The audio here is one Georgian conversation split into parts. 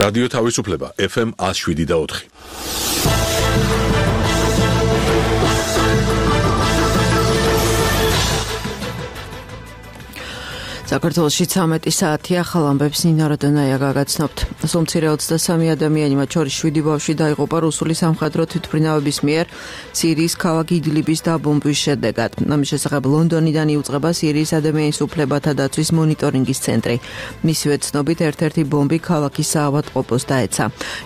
რადიო თავისუფლება FM 107.4. საქართველოში 13 საათია, ახალ ამბებს ნინა როდონაია გაგაცნობთ. სომცირე 23 ადამიანი, მათ შორის 7 ბავშვი დაიღუპა რუსული სამხედრო თვითმფრინავების მიერ სირიის ქალაქ იდლიბის დაბომბვის შედეგად. ამის შესახებ ლონდონიდან იუწყება სირიის ადამიანის უფლებათა დაცვის მონიტორინგის ცენტრი. მისივე ცნობით ერთ-ერთი ბომბი ქალაქის საავადმყოფოს დაეცა.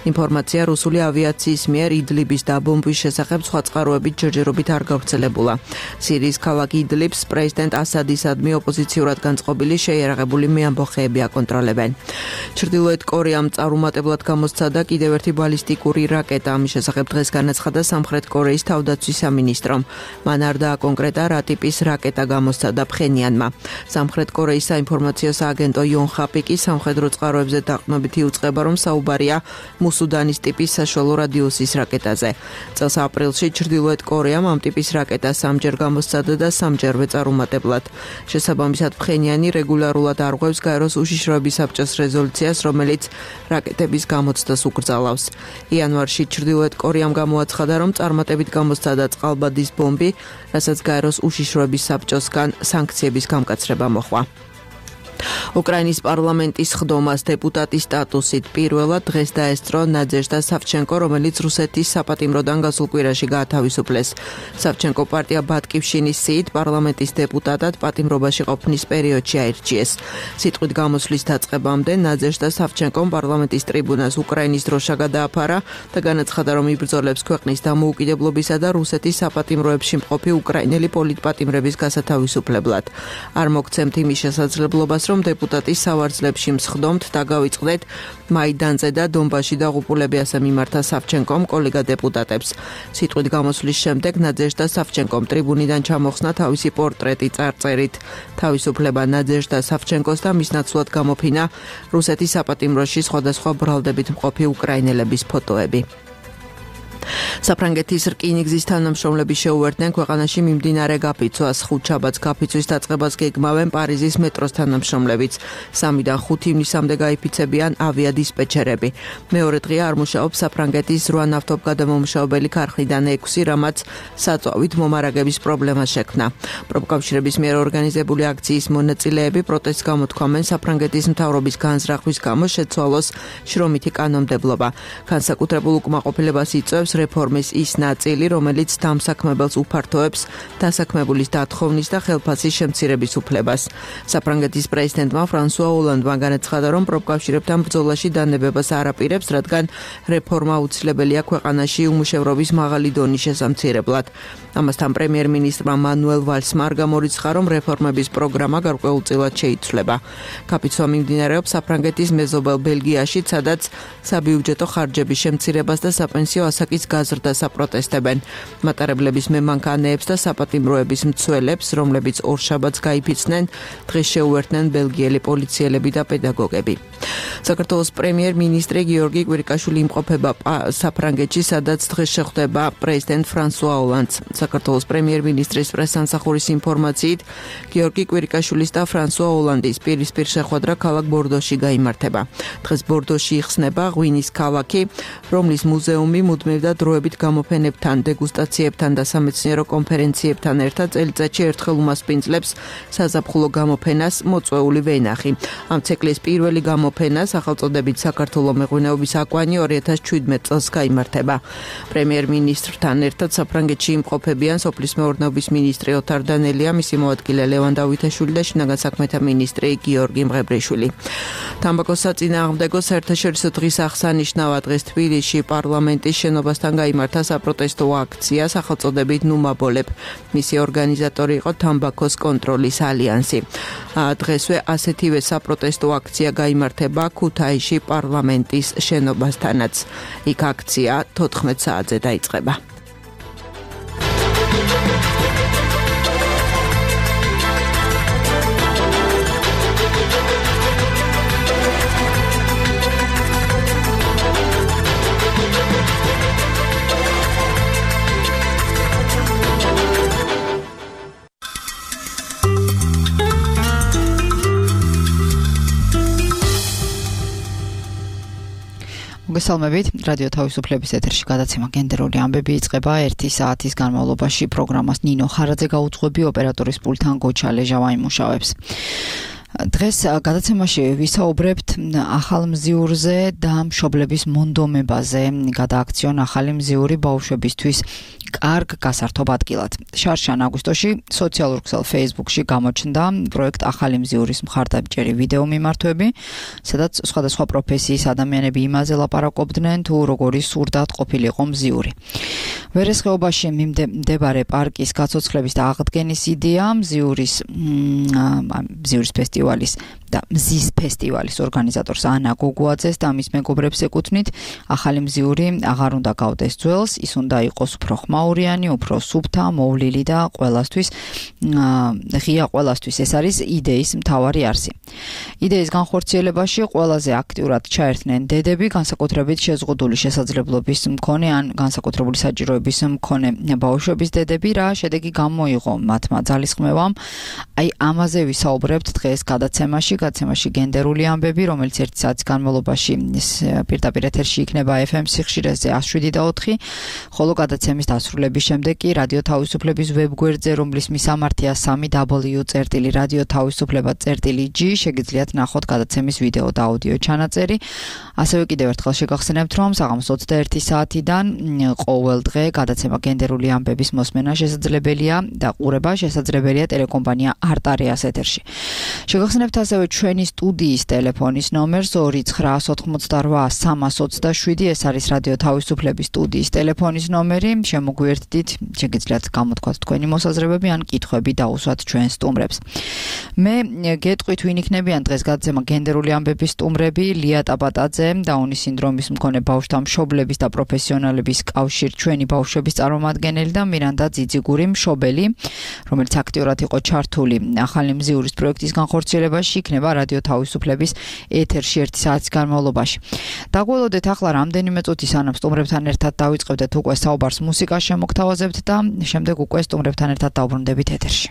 ინფორმაცია რუსული ავიაციის მიერ იდლიბის დაბომბვის შესახებ სხვა წყაროებით ჯერჯერობით არ გავრცელებულა. სირიის ქალაქ იდლიბს პრეზიდენტ ასადისადმი ოპოზიციურად განწყობილი შეიარაღებული მეამბოხეები აკონტროლებენ. ჩრდილოეთ კორეამ წარუმატებლად გამოსცადა კიდევ ერთი ბალისტიკური რაკეტა. ამის შესახებ დღეს განაცხადა სამხრეთ კორეის თავდაცვის სამინისტრომ. მან არ დააკონკრეტა რა ტიპის რაკეტა გამოსცადა ფხენიანმა. სამხრეთ კორეის საინფორმაციო სააგენტო იონჰაპი კი სამხედრო წყაროებზე დაყრდნობით იუწყება, რომ საუბარია მუსუდანის ტიპის საშუალო რადიუსის რაკეტაზე. წელს აპრილში ჩრდილოეთ კორეამ ამ ტიპის რაკეტას სამჯერ გამოსცადა და სამჯერვე წარუმატებლად. შესაბამისად ფხენიანი რეგულარულად არღვევს გაეროს უშიშროების საბჭოს რეზოლუციას, რომელიც რაკეტების გამოცდას უკრძალავს. იანვარში ჩრდილოეთ კორეამ გამოაცხადა, რომ წარმატებით გამოსცადა წყალბადის ბომბი, რასაც გაეროს უშიშროების საბჭოსგან სანქციების გამკაცრება მოჰყვა. უკრაინის პარლამენტის ხდომას დეპუტატის სტატუსით პირველად დღეს დაესწრო ნაძეჟდა სავჩენკო, რომელიც რუსეთის საპატიმროდან გასულ კვირაში გაათავისუფლეს. სავჩენკო პარტია ბატკივშინის სიით პარლამენტის დეპუტატად პატიმრობაში ყოფნის პერიოდში აირჩიეს. სიტყვით გამოსვლის დაწყებამდე ნაძეჟდა სავჩენკომ პარლამენტის ტრიბუნას უკრაინის დროშა გადააფარა და განაცხადა, რომ იბრძოლებს ქვეყნის დამოუკიდებლობისა და რუსეთის საპატიმროებში მყოფი უკრაინელი პოლიტპატიმრების გასათავისუფლებლად. არ მოგცემთ იმის შესაძლებლობას, რომ დეპუტატის სავარძლებში მსხდომთ და გავიწყდეთ მაიდანზე და დონბასში დაღუპულები, ასე მიმართა სავჩენკომ კოლეგა დეპუტატებს. სიტყვით გამოსვლის შემდეგ ნაძეჟდა სავჩენკომ ტრიბუნიდან ჩამოხსნა თავისი პორტრეტი წარწერით. თავისუფლება ნაძეჟდა სავჩენკოს და მის ნაცვლად გამოფინა რუსეთის საპატიმროში სხვადასხვა ბრალდებით მყოფი უკრაინელების ფოტოები. საფრანგეთის რკინიგზის თანამშრომლები შეუერთდნენ ქვეყანაში მიმდინარე გაფიცვას. ხუთშაბათს გაფიცვის დაწყებას გეგმავენ პარიზის მეტროს თანამშრომლებიც. 3-დან 5 ივნისამდე გაიფიცებიან ავიადისპეჩერები. მეორე დღე არ მუშაობს საფრანგეთის 8 ნავთობგადამამუშავებელი ქარხნიდან 6, რამაც საწვავით მომარაგების პრობლემა შექმნა. პროფკავშირების მიერ ორგანიზებული აქციის მონაწილეები პროტესტს გამოთქვამენ საფრანგეთის მთავრობის განზრახვის გამო შეცვალოს შრომითი კანონმდებლობა. განსაკუთრებულ უკმაყოფილებას იწვევს რეფორმის ის ნაწილი, რომელიც დამსაქმებელს უფართოებს დასაქმებულის დათხოვნის და ხელფასის შემცირების უფლებას. საფრანგეთის პრეზიდენტმა ფრანსუა ოლანდმა განაცხადა, რომ პროფკავშირებთან ბრძოლაში დანებებას არ აპირებს, რადგან რეფორმა აუცილებელია ქვეყანაში უმუშევრობის მაღალი დონის შესამცირებლად. ამასთან პრემიერ-მინისტრმა მანუელ ვალსმა არ გამორიცხა, რომ რეფორმების პროგრამა გარკვეულწილად შეიცვლება. გაფიცვა მიმდინარეობს საფრანგეთის მეზობელ ბელგიაში, სადაც საბიუჯეტო ხარჯების შემცირებას და საპენსიო ასაკის გაზრდას აპროტესტებენ. მატარებლების მემანქანეებს და საპატიმროების მცველებს, რომლებიც ორშაბათს გაიფიცნენ, დღეს შეუერთდნენ ბელგიელი პოლიციელები და პედაგოგები. საქართველოს პრემიერ-მინისტრი გიორგი კვირიკაშვილი იმყოფება საფრანგეთში, სადაც დღეს შეხვდება პრეზიდენტ ფრანსუა ოლანდს. საქართველოს პრემიერ-მინისტრის პრესსამსახურის ინფორმაციით, გიორგი კვირიკაშვილის და ფრანსუა ოლანდის პირისპირ შეხვედრა ქალაქ ბორდოში გაიმართება. დღეს ბორდოში იხსნება ღვინის ქალაქი, რომლის მუზეუმი მუდმივ და დროებით გამოფენებთან, დეგუსტაციებთან და სამეცნიერო კონფერენციებთან ერთად წელიწადში ერთხელ უმასპინძლებს საზაფხულო გამოფენას მოწვეული ვენახი. ამ ციკლის პირველი გამოფენა სახელწოდებით საქართველოს მეღვინეობის აკვანი 2017 წელს გაიმართება. პრემიერ-მინისტრთან ერთად საფრანგეთში იმყოფებიან სოფლის მეურნეობის მინისტრი ოთარ დანელია, მისი მოადგილე ლევან დავითაშვილი და შინაგან საქმეთა მინისტრი გიორგი მღებრიშვილი. თამბაქოს საწინააღმდეგო საერთაშორისო დღის აღსანიშნავად დღეს თბილისში პარლამენტის შენობასთან გაიმართა საპროტესტო აქცია სახელწოდებით ნუმაბოლებ. მისი ორგანიზატორი იყო თამბაქოს კონტროლის ალიანსი. დღესვე ასეთივე საპროტესტო აქცია გაიმართება ქუთაისში პარლამენტის შენობასთანაც. იქ აქცია 14 საათზე დაიწყება. მოგესალმებით. რადიო თავისუფლების ეთერში გადაცემა გენდერული ამბები იწყება 1 საათის განმავლობაში. პროგრამას ნინო ხარაძე გაუძღვები, ოპერატორის პულტთან გოჩა ლეჟავა იმუშავებს. დღეს გადაცემაში ვისაუბრებთ ახალ მზიურზე და მშობლების მონდომებაზე. გადააქციონ ახალი მზიური ბავშვებისთვის კარგ გასართობ ადგილად. შარშან აგვისტოში სოციალურ ქსელ Facebook-ში გამოჩნდა პროექტ ახალი მზიურის მხარდამჭერი ვიდეო მიმართვები, სადაც სხვადასხვა პროფესიის ადამიანები იმაზე ლაპარაკობდნენ, თუ როგორი სურდათ ყოფილიყო მზიური. ვერესხეობაში მდებარე პარკის გაცოცხლების და აღდგენის იდეა მზიურის ფესტივალის და მზის ფესტივალის ორგანიზატორს ანა გოგუაძეს და მის მეგობრებს ეკუთვნით, ახალი მზიური აღარ უნდა გავდეს ძველს, ის უნდა იყოს უფრო ხმაურიანი, უფრო სუფთა, მოვლილი და ღია ყველასთვის. ეს არის იდეის მთავარი არსი. იდეის განხორციელებაში ყველაზე აქტიურად ჩაერთნენ დედები, განსაკუთრებით შეზღუდული შესაძლებლობის მქონე ან განსაკუთრებული საჭიროების მქონე ბავშვების დედები. რა შედეგი გამოიღო მათმა ძალისხმევამ? აი ამაზე ვისაუბრებთ დღეს გადაცემაში გენდერული ამბები, რომელიც 1 საათის განმავლობაში პირდაპირ ეთერში იქნება FM სიხშირეზე 107.4, ხოლო გადაცემის დასრულების შემდეგ კი რადიო თავისუფლების ვებგვერდზე, რომლის მისამართია www.radiotavisufleba.g შეგიძლიათ ნახოთ გადაცემის ვიდეო და აუდიო ჩანაწერი. ასევე კიდევ ერთხელ შეგახსენებთ, რომ საღამოს 21 საათიდან ყოველ დღე გადაცემა გენდერული ამბების მოსმენა შესაძლებელია და ყურება შესაძლებელია ტელეკომპანია არტარიას ეთერში. შეგახსენებთ ასევე ჩვენი სტუდიის ტელეფონის ნომერს 2988327. ეს არის რადიო თავისუფლების სტუდიის ტელეფონის ნომერი. შემოგვიერთდით, შეგიძლიათ გამოთქვათ თქვენი მოსაზრებები ან კითხვები დაუსვათ ჩვენ სტუმრებს. მე გეტყვით ვინ იქნებიან დღეს გადაცემა გენდერული ამბების სტუმრები: ლია ტაბატაძე, დაუნის სინდრომის მქონე ბავშვთა მშობლების და პროფესიონალების კავშირ ჩვენი ბავშვების წარმომადგენელი და მირანდა ძიძიგური მშობელი, რომელიც აქტიურად იყო ჩართული ახალი მზიურის პროექტის განხორციელებაში, იქნება რადიო თავისუფლების ეთერში 1 საათის განმავლობაში. დაგველოდეთ ახლა რამდენიმე წუთი სანამ სტუმრებთან ერთად დავიწყებდეთ უკვე საუბარს მუსიკას შემოგთავაზებთ და შემდეგ უკვე სტუმრებთან ერთად დავბრუნდებით ეთერში.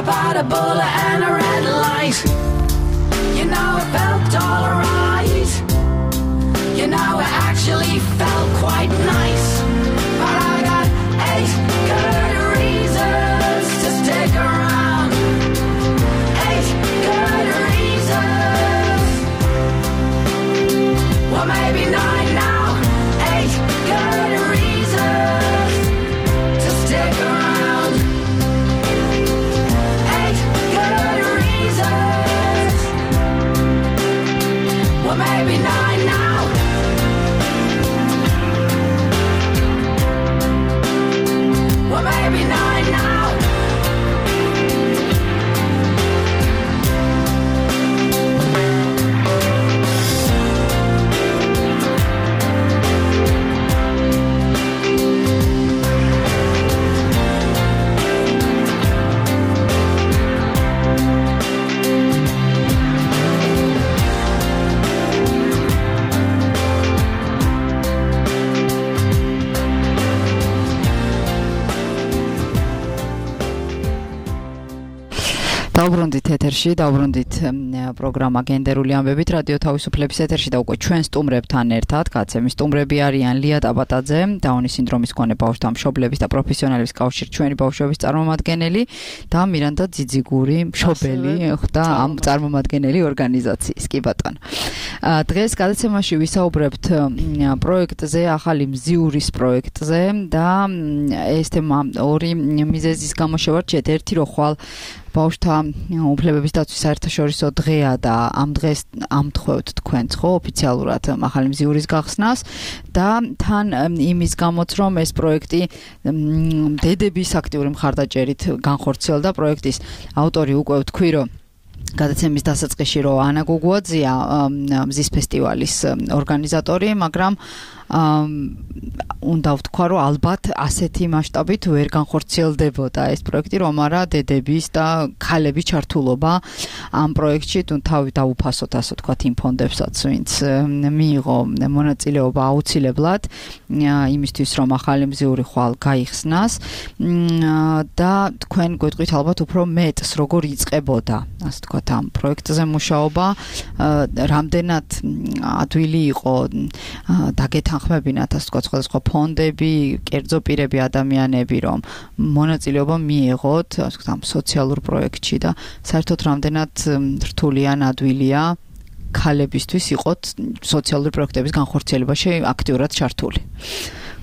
About a bullet and a red light. You know it felt maybe not now. Well, maybe not now. დავბრუნდით ეთერში, დავბრუნდით პროგრამა გენდერული ამბებით რადიო თავისუფლების ეთერში და უკვე ჩვენ სტუმრებთან ერთად, კაცები სტუმრები არიან ლია ტაბატაძე, დაუნის სინდრომის მქონე ბავშვთა მშობლების და პროფესიონალების კავშირის ჩვენი ბავშვების წარმომადგენელი და მირანდა ძიძიგური მშობელი და ამ წარმომადგენელი ორგანიზაციის. კი ბატონო. დღეს გადაცემაში ვისაუბრებთ პროექტზე, ახალი მზიურის პროექტზე და ეს თემა ორი მიზეზის გამო შევარჩიეთ. ერთი რო ხვალ ბავშვთა უფლებების დაცვის საერთაშორისო დღეა და ამ დღეს ამთხოვთ თქვენც ხო ოფიციალურად ახალი მზიურის გახსნას და თან იმის გამოც რომ ეს პროექტი დედების აქტიური მხარდაჭერით განხორციელდა პროექტის ავტორი უკვე ვთქვი რომ გადაცემის დასაწყისში რომ ანა გუგუაძეა მზის ფესტივალის ორგანიზატორი, მაგრამ უნდა ვთქვა, რომ ალბათ ასეთი მასშტაბით ვერ განხორციელდებოდა ეს პროექტი, რომ არა დედების და ქალების ჩართულობა ამ პროექტში თუ თავი დაუფასოთ, ასე ვთქვათ, იმ ფონდებსაც, ვინც მიიღო მონაწილეობა აუცილებლად იმისთვის, რომ ახალი მზიური ხვალ გაიხსნას და თქვენ გვეტყვით ალბათ უფრო მეტს, როგორ იწყებოდა, ასე ვთქვათ, ამ პროექტზე მუშაობა, რამდენად ადვილი იყო დაგეთანხმებინათ, ასე ვთქვათ, სხვადასხვა ფონდები, კერძო პირები, ადამიანები, რომ მონაწილეობა მიიღოთ, ასე ვთქვათ, ამ სოციალურ პროექტში და საერთოდ რამდენად რთულია, ადვილია ქალებისთვის იყოთ სოციალური პროექტების განხორციელებაში აქტიურად ჩართული.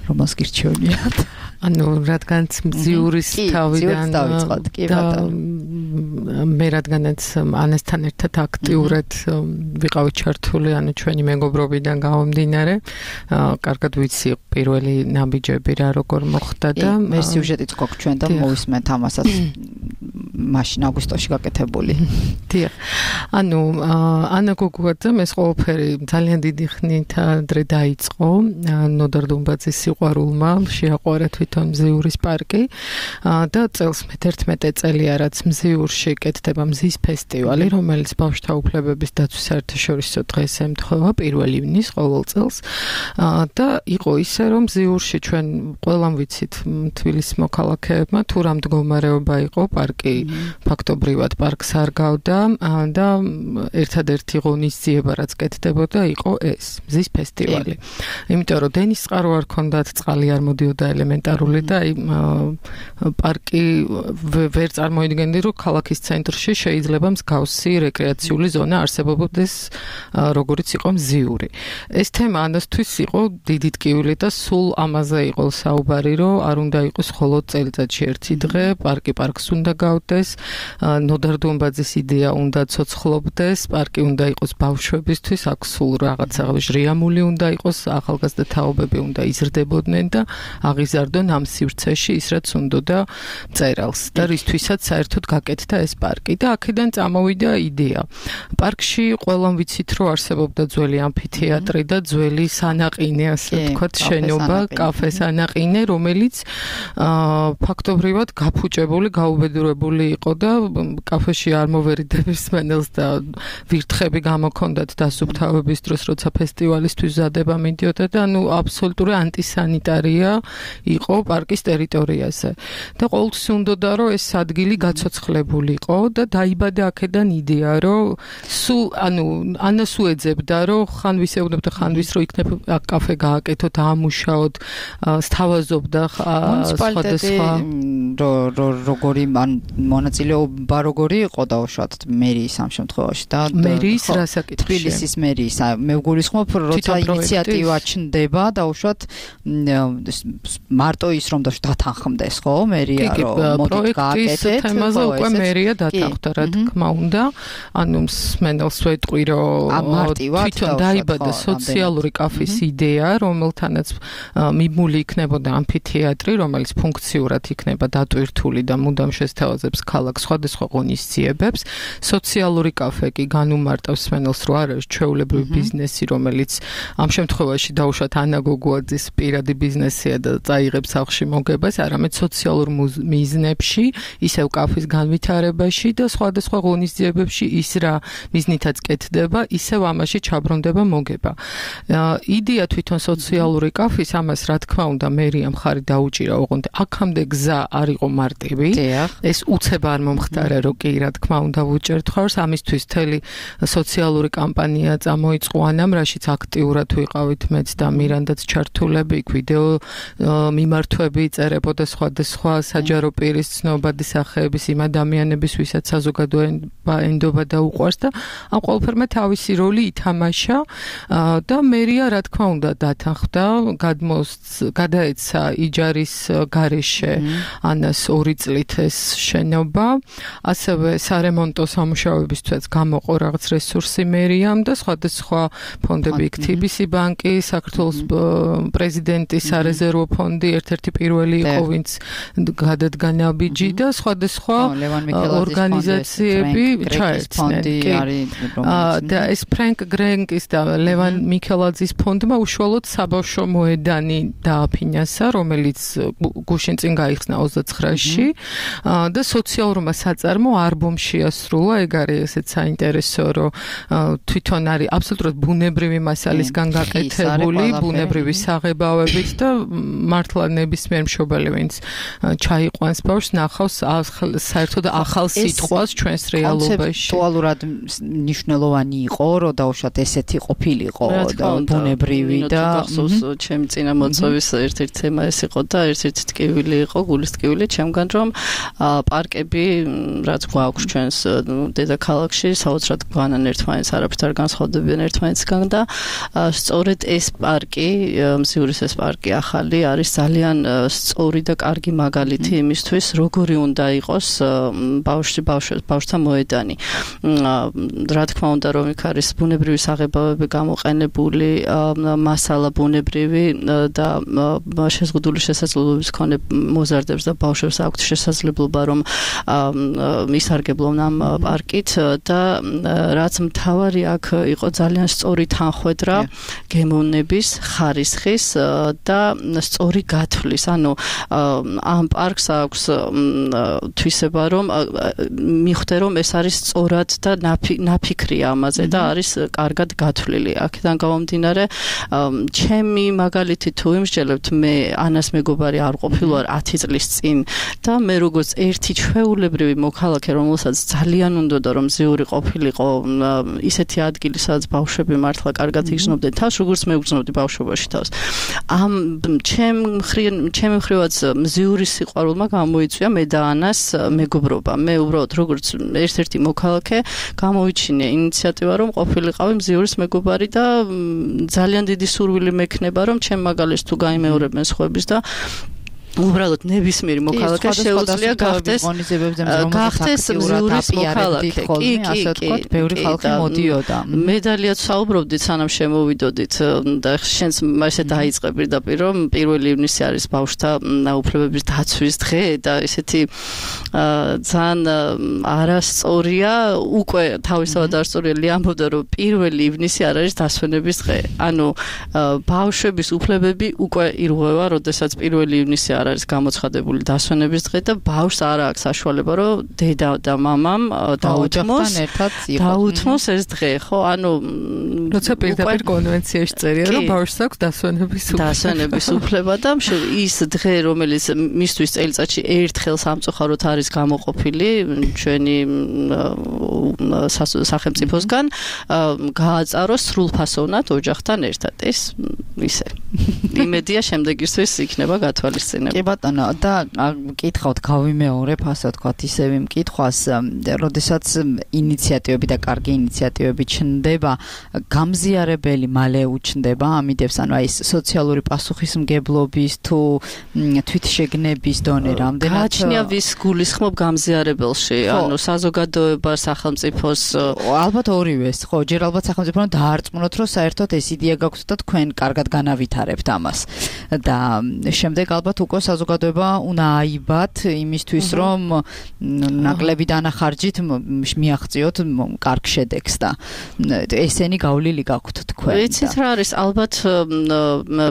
რომელს გირჩევნიათ? ანუ რადგანაც მზიურის თავიდან მე რადგანაც ანესთან ერთად აქტიურად ვიყავი ჩართული, ანუ ჩვენი მეგობრობიდან გამომდინარე, კარგად ვიცი პირველი ნაბიჯები რა როგორ მოხდა და მე სიუჟეტიც გვაქვს ჩვენ და მოვისმენთ ამასაც მაშინ აგვისტოში გაკეთებული. დიახ. ანუ ანა გუგუაძემ ეს ყველაფერი ძალიან დიდი ხნით ადრე დაიწყო, ნოდარ დუმბაძის სიყვარულმა შეაყვარა თვითონ მზიურის პარკი და წელს მე-11 წელია რაც მზიურში კეთდება მზის ფესტივალი, რომელიც ბავშვთა უფლებების დაცვის საერთაშორისო დღეს ემთხვევა 1 ივნის ყოველ წელს და იყო ისე რომ მზიურში ჩვენ ყველამ ვიცით თბილისის მოქალაქეებმა თუ რა მდგომარეობა იყო პარკი ფაქტობრივად პარკს არ გავდა და ერთადერთი ღონისძიება რაც კეთდებოდა იყო ეს მზის ფესტივალი. იმიტომ რომ დენის წყარო არ ქონდათ, წყალი არ მოდიოდა ელემენტარული და პარკი ვერ წარმოიდგენდი რომ ქალაქის ცენტრში შეიძლება მსგავსი რეკრეაციული ზონა არსებობდეს როგორიც იყო მზიური. ეს თემა ანასთვის იყო დიდი ტკივილი და სულ ამაზე იყო საუბარი რომ არ უნდა იყოს მხოლოდ წელიწადში ერთი დღე, პარკი პარკს უნდა გავდეს, ნოდარ დუმბაძის იდეა უნდა ცოცხლობდეს, პარკი უნდა იყოს ბავშვებისთვის, აქ სულ რაღაცა ჟრიამული უნდა იყოს, ახალგაზრდა თაობები უნდა იზრდებოდნენ და აღიზარდონ ამ სივრცეში ის რაც უნდოდა მწერალს და რისთვისაც საერთოდ გაკეთდა ეს პარკი და აქედან წამოვიდა იდეა. პარკში ყველამ ვიცით რომ არსებობდა ძველი ამფითეატრი და ძველი სანაყინე, ასე ვთქვათ, შენობა, კაფე სანაყინე, რომელიც ფაქტობრივად გაფუჭებული, გაუბედურებული იყო და კაფეში არ მოვერიდების მენელს და ვირთხები გამოქონდათ დასუფთავების დროს, როცა ფესტივალისთვის ზადება მიდიოდა და ანუ აბსოლუტური ანტისანიტარია იყო პარკის ტერიტორიაზე. და ყოველთვის უნდოდა რომ ეს ადგილი გაცოცხლებულიყო და დაიბადა აქედან იდეა რომ სულ ანუ ანას უეძებდა რომ ხან ვისეუბნებდა ხან ვის რომ იქნებ კაფე გააკეთოთ, ამუშაოთ, სთავაზობდა სხვადასხვა როგორი მან მონაწილეობა როგორი იყო დაუშვათ მერიის ამ შემთხვევაში და მერიის რა საკითხია? თბილისის მერიის. მე ვგულისხმობ, როცა ინიციატივა ჩნდება დაუშვათ მარტო ის რომ დათანხმდეს, ხო? მერია რომ მოდით გააკეთეთ. თემაზე უკვე მერია დათანხმდა, რა თქმა უნდა. ანუ მსმენელს ვეტყვი, რომ თვითონ დაიბადა სოციალური კაფის იდეა, რომელთანაც მიმული იქნებოდა ამფითეატრი, რომელიც ფუნქციურად იქნება დატვირთული და მუდამ შესთავაზებს ქალაქს სხვადასხვა ღონისძიებებს. სოციალური კაფე კი განუმარტავს მსმენელს, რომ არ არის ჩვეულებრივი ბიზნესი, რომელიც ამ შემთხვევაში დაუშვათ ანა გოგუაძის პირადი ბიზნესია და წაიღებს სახლში მოგებას, არამედ სოციალურ მიზნებში, ისევ კაფის განვითარებაში და სხვადასხვა ღონისძიებებში ის რა მიზნითაც კეთდება, ისევ ამაში ჩაბრუნდება მოგება. იდეა თვითონ სოციალური კაფის ამას რა თქმა უნდა მერია მხარი დაუჭირა, ოღონდ აქამდე გზა არ იყო მარტივი. ეს უცებ არ მომხდარა, რომ კი რა თქმა უნდა ვუჭერთ ხარს, ამისთვის მთელი სოციალური კამპანია წამოიწყო ანამ, რაშიც აქტიურად ვიყავით მეც და მირანდაც ჩართულები, იქ ვიდეო მიმართვები იწერებოდა სხვადასხვა საჯარო პირის ცნობადი სახეების იმ ადამიანების, ვისაც საზოგადოება ენდობა და უყვარს და ამ ყველაფერმა თავისი როლი ითამაშა და მერია რა თქმა უნდა დათანხმდა, გადაეცა იჯარის გარეშე ანას 2 წლით ეს შენობა, ასევე სარემონტო სამუშაოებისთვისაც გამოყო რაღაც რესურსი მერიამ და სხვადასხვა ფონდები, იქ TBC ბანკი, საქართველოს პრეზიდენტის სარეზერვო ფონდი ერთ-ერთი პირველი იყო, ვინც გადადგა ნაბიჯი და სხვადასხვა ორგანიზაციები ჩაერთნენ. და ეს ფრენკ გრენკის და ლევან მიქელაძის ფონდმა უშუალოდ საბავშვო მოედანი დააფინანსა, რომელიც გუშინ წინ გაიხსნა 29-ში და სოციალურმა საწარმო ალბომი შეასრულა. ეგ არის ესეც საინტერესო, რომ თვითონ არის აბსოლუტურად ბუნებრივი მასალისგან გაკეთებული, ბუნებრივი საღებავებით და მართლა ნებისმიერ მშობელი, ვინც ჩაიყვანს ბავშვს, ნახავს საერთოდ ახალ სიტყვას ჩვენს რეალობაში. კონცეპტუალურად მნიშვნელოვანი იყო, რომ დაუშვათ ესეთი ყოფილიყო და ბუნებრივი და ჩემი წინა მოწვევის ერთ-ერთი თემა ეს იყო და ერთ-ერთი ტკივილი იყო, გულის ტკივილი ჩემგან, რომ პარკები რაც გვაქვს ჩვენს დედაქალაქში, საოცრად გვანან ერთმანეთს, არაფრით არ განსხვავდებიან ერთმანეთსგან და სწორედ ეს პარკი, მზიურის ეს პარკი ახალი არის ძალიან სწორი და კარგი მაგალითი იმისთვის, როგორი უნდა იყოს ბავშვთა მოედანი. რა თქმა უნდა, რომ იქ არის ბუნებრივი საღებავები გამოყენებული, მასალა ბუნებრივი და შეზღუდული შესაძლებლობის მქონე მოზარდებს და ბავშვებს აქვთ შესაძლებლობა, რომ ისარგებლონ ამ პარკით და რაც მთავარი აქ იყო ძალიან სწორი თანხვედრა გემოვნების, ხარისხის და სწორი გათვლის. ანუ ამ პარკს აქვს თვისება, რომ მიხვდე, რომ ეს არის სწორად და ნაფიქრია ამაზე და არის კარგად გათვლილი. აქედან გამომდინარე, ჩემი მაგალითი თუ იმსჯელებთ, მე ანას მეგობარი არ ყოფილვარ 10 წლის წინ და მე როგორც ერთი ჩვეულებრივი მოქალაქე, რომელსაც ძალიან უნდოდა რომ მზიური ყოფილიყო ისეთი ადგილი, სადაც ბავშვები მართლა კარგად იგრძნობდნენ თავს, როგორც მე ვგრძნობდი ბავშვობაში თავს. ამ ჩემი მხრივაც მზიური სიყვარულმა გამოიწვია მე და ანას მეგობრობა. მე უბრალოდ როგორც ერთ-ერთი მოქალაქე გამოვიჩინე ინიციატივა, რომ ყოფილიყავი მზიურის მეგობარი და ძალიან დიდი სურვილი მექნება, რომ ჩემ მაგალითს თუ გაიმეორებენ სხვების და უბრალოდ ნებისმიერი მოქალაქე შეუძლია გახდეს მზიურის მოქალაქე. კი, ბევრი ხალხი მოდიოდა. მედალიაც საუბრობდით, სანამ შემოვიდოდით და შენს ესე დაიწყე პირდაპირ, რომ 1 ივნისი არის ბავშვთა უფლებების დაცვის დღე და ესეთი ძალიან არასწორია, უკვე თავისთავად არასწორია ამბობდა, რომ 1 ივნისი არ არის დასვენების დღე. ანუ ბავშვების უფლებები უკვე ირღვევა, როდესაც 1 ივნისი არის გამოცხადებული დასვენების დღე და ბავშვს არ აქვს საშუალება, რომ დედა და მამამ დაუთმოს ეს დღე, ხო? ანუ როცა პირდაპირ კონვენციაში წერია, რომ ბავშვს აქვს დასვენების უფლება და ის დღე, რომელიც მისთვის წელიწადში ერთხელ სამწუხაროდ არის გამოყოფილი ჩვენი სახელმწიფოსგან, გააწაროს სრულფასოვნად ოჯახთან ერთად. ეს ისე იმედია შემდეგისთვის იქნება გათვალისწინებული. კი ბატონო, და მკითხავთ, გავიმეორებ, ასე ვთქვათ, ისევ მკითხვას, როდესაც ინიციატივები და კარგი ინიციატივები ჩნდება, გამზიარებელი მალე უჩნდება ამიდებს, ანუ აი ეს სოციალური პასუხისმგებლობის თუ თვითშეგნების დონე რამდენად გააჩნია ვის გულისხმობ გამზიარებელში, ანუ საზოგადოება, სახელმწიფოს ალბათ ორივეს, ხო, ჯერ ალბათ სახელმწიფო დაარწმუნოთ, რომ საერთოდ ეს იდეა გაქვთ და თქვენ კარგად განავითარებთ ამას. და შემდეგ ალბათ უკვე საზოგადოება უნდა აიბათ იმისთვის, რომ ნაკლები დანახარჯით მიაღწიოთ კარგ შედეგს და ესენი გავლილი გაქვთ თქვენ. ვიცით რა არის, ალბათ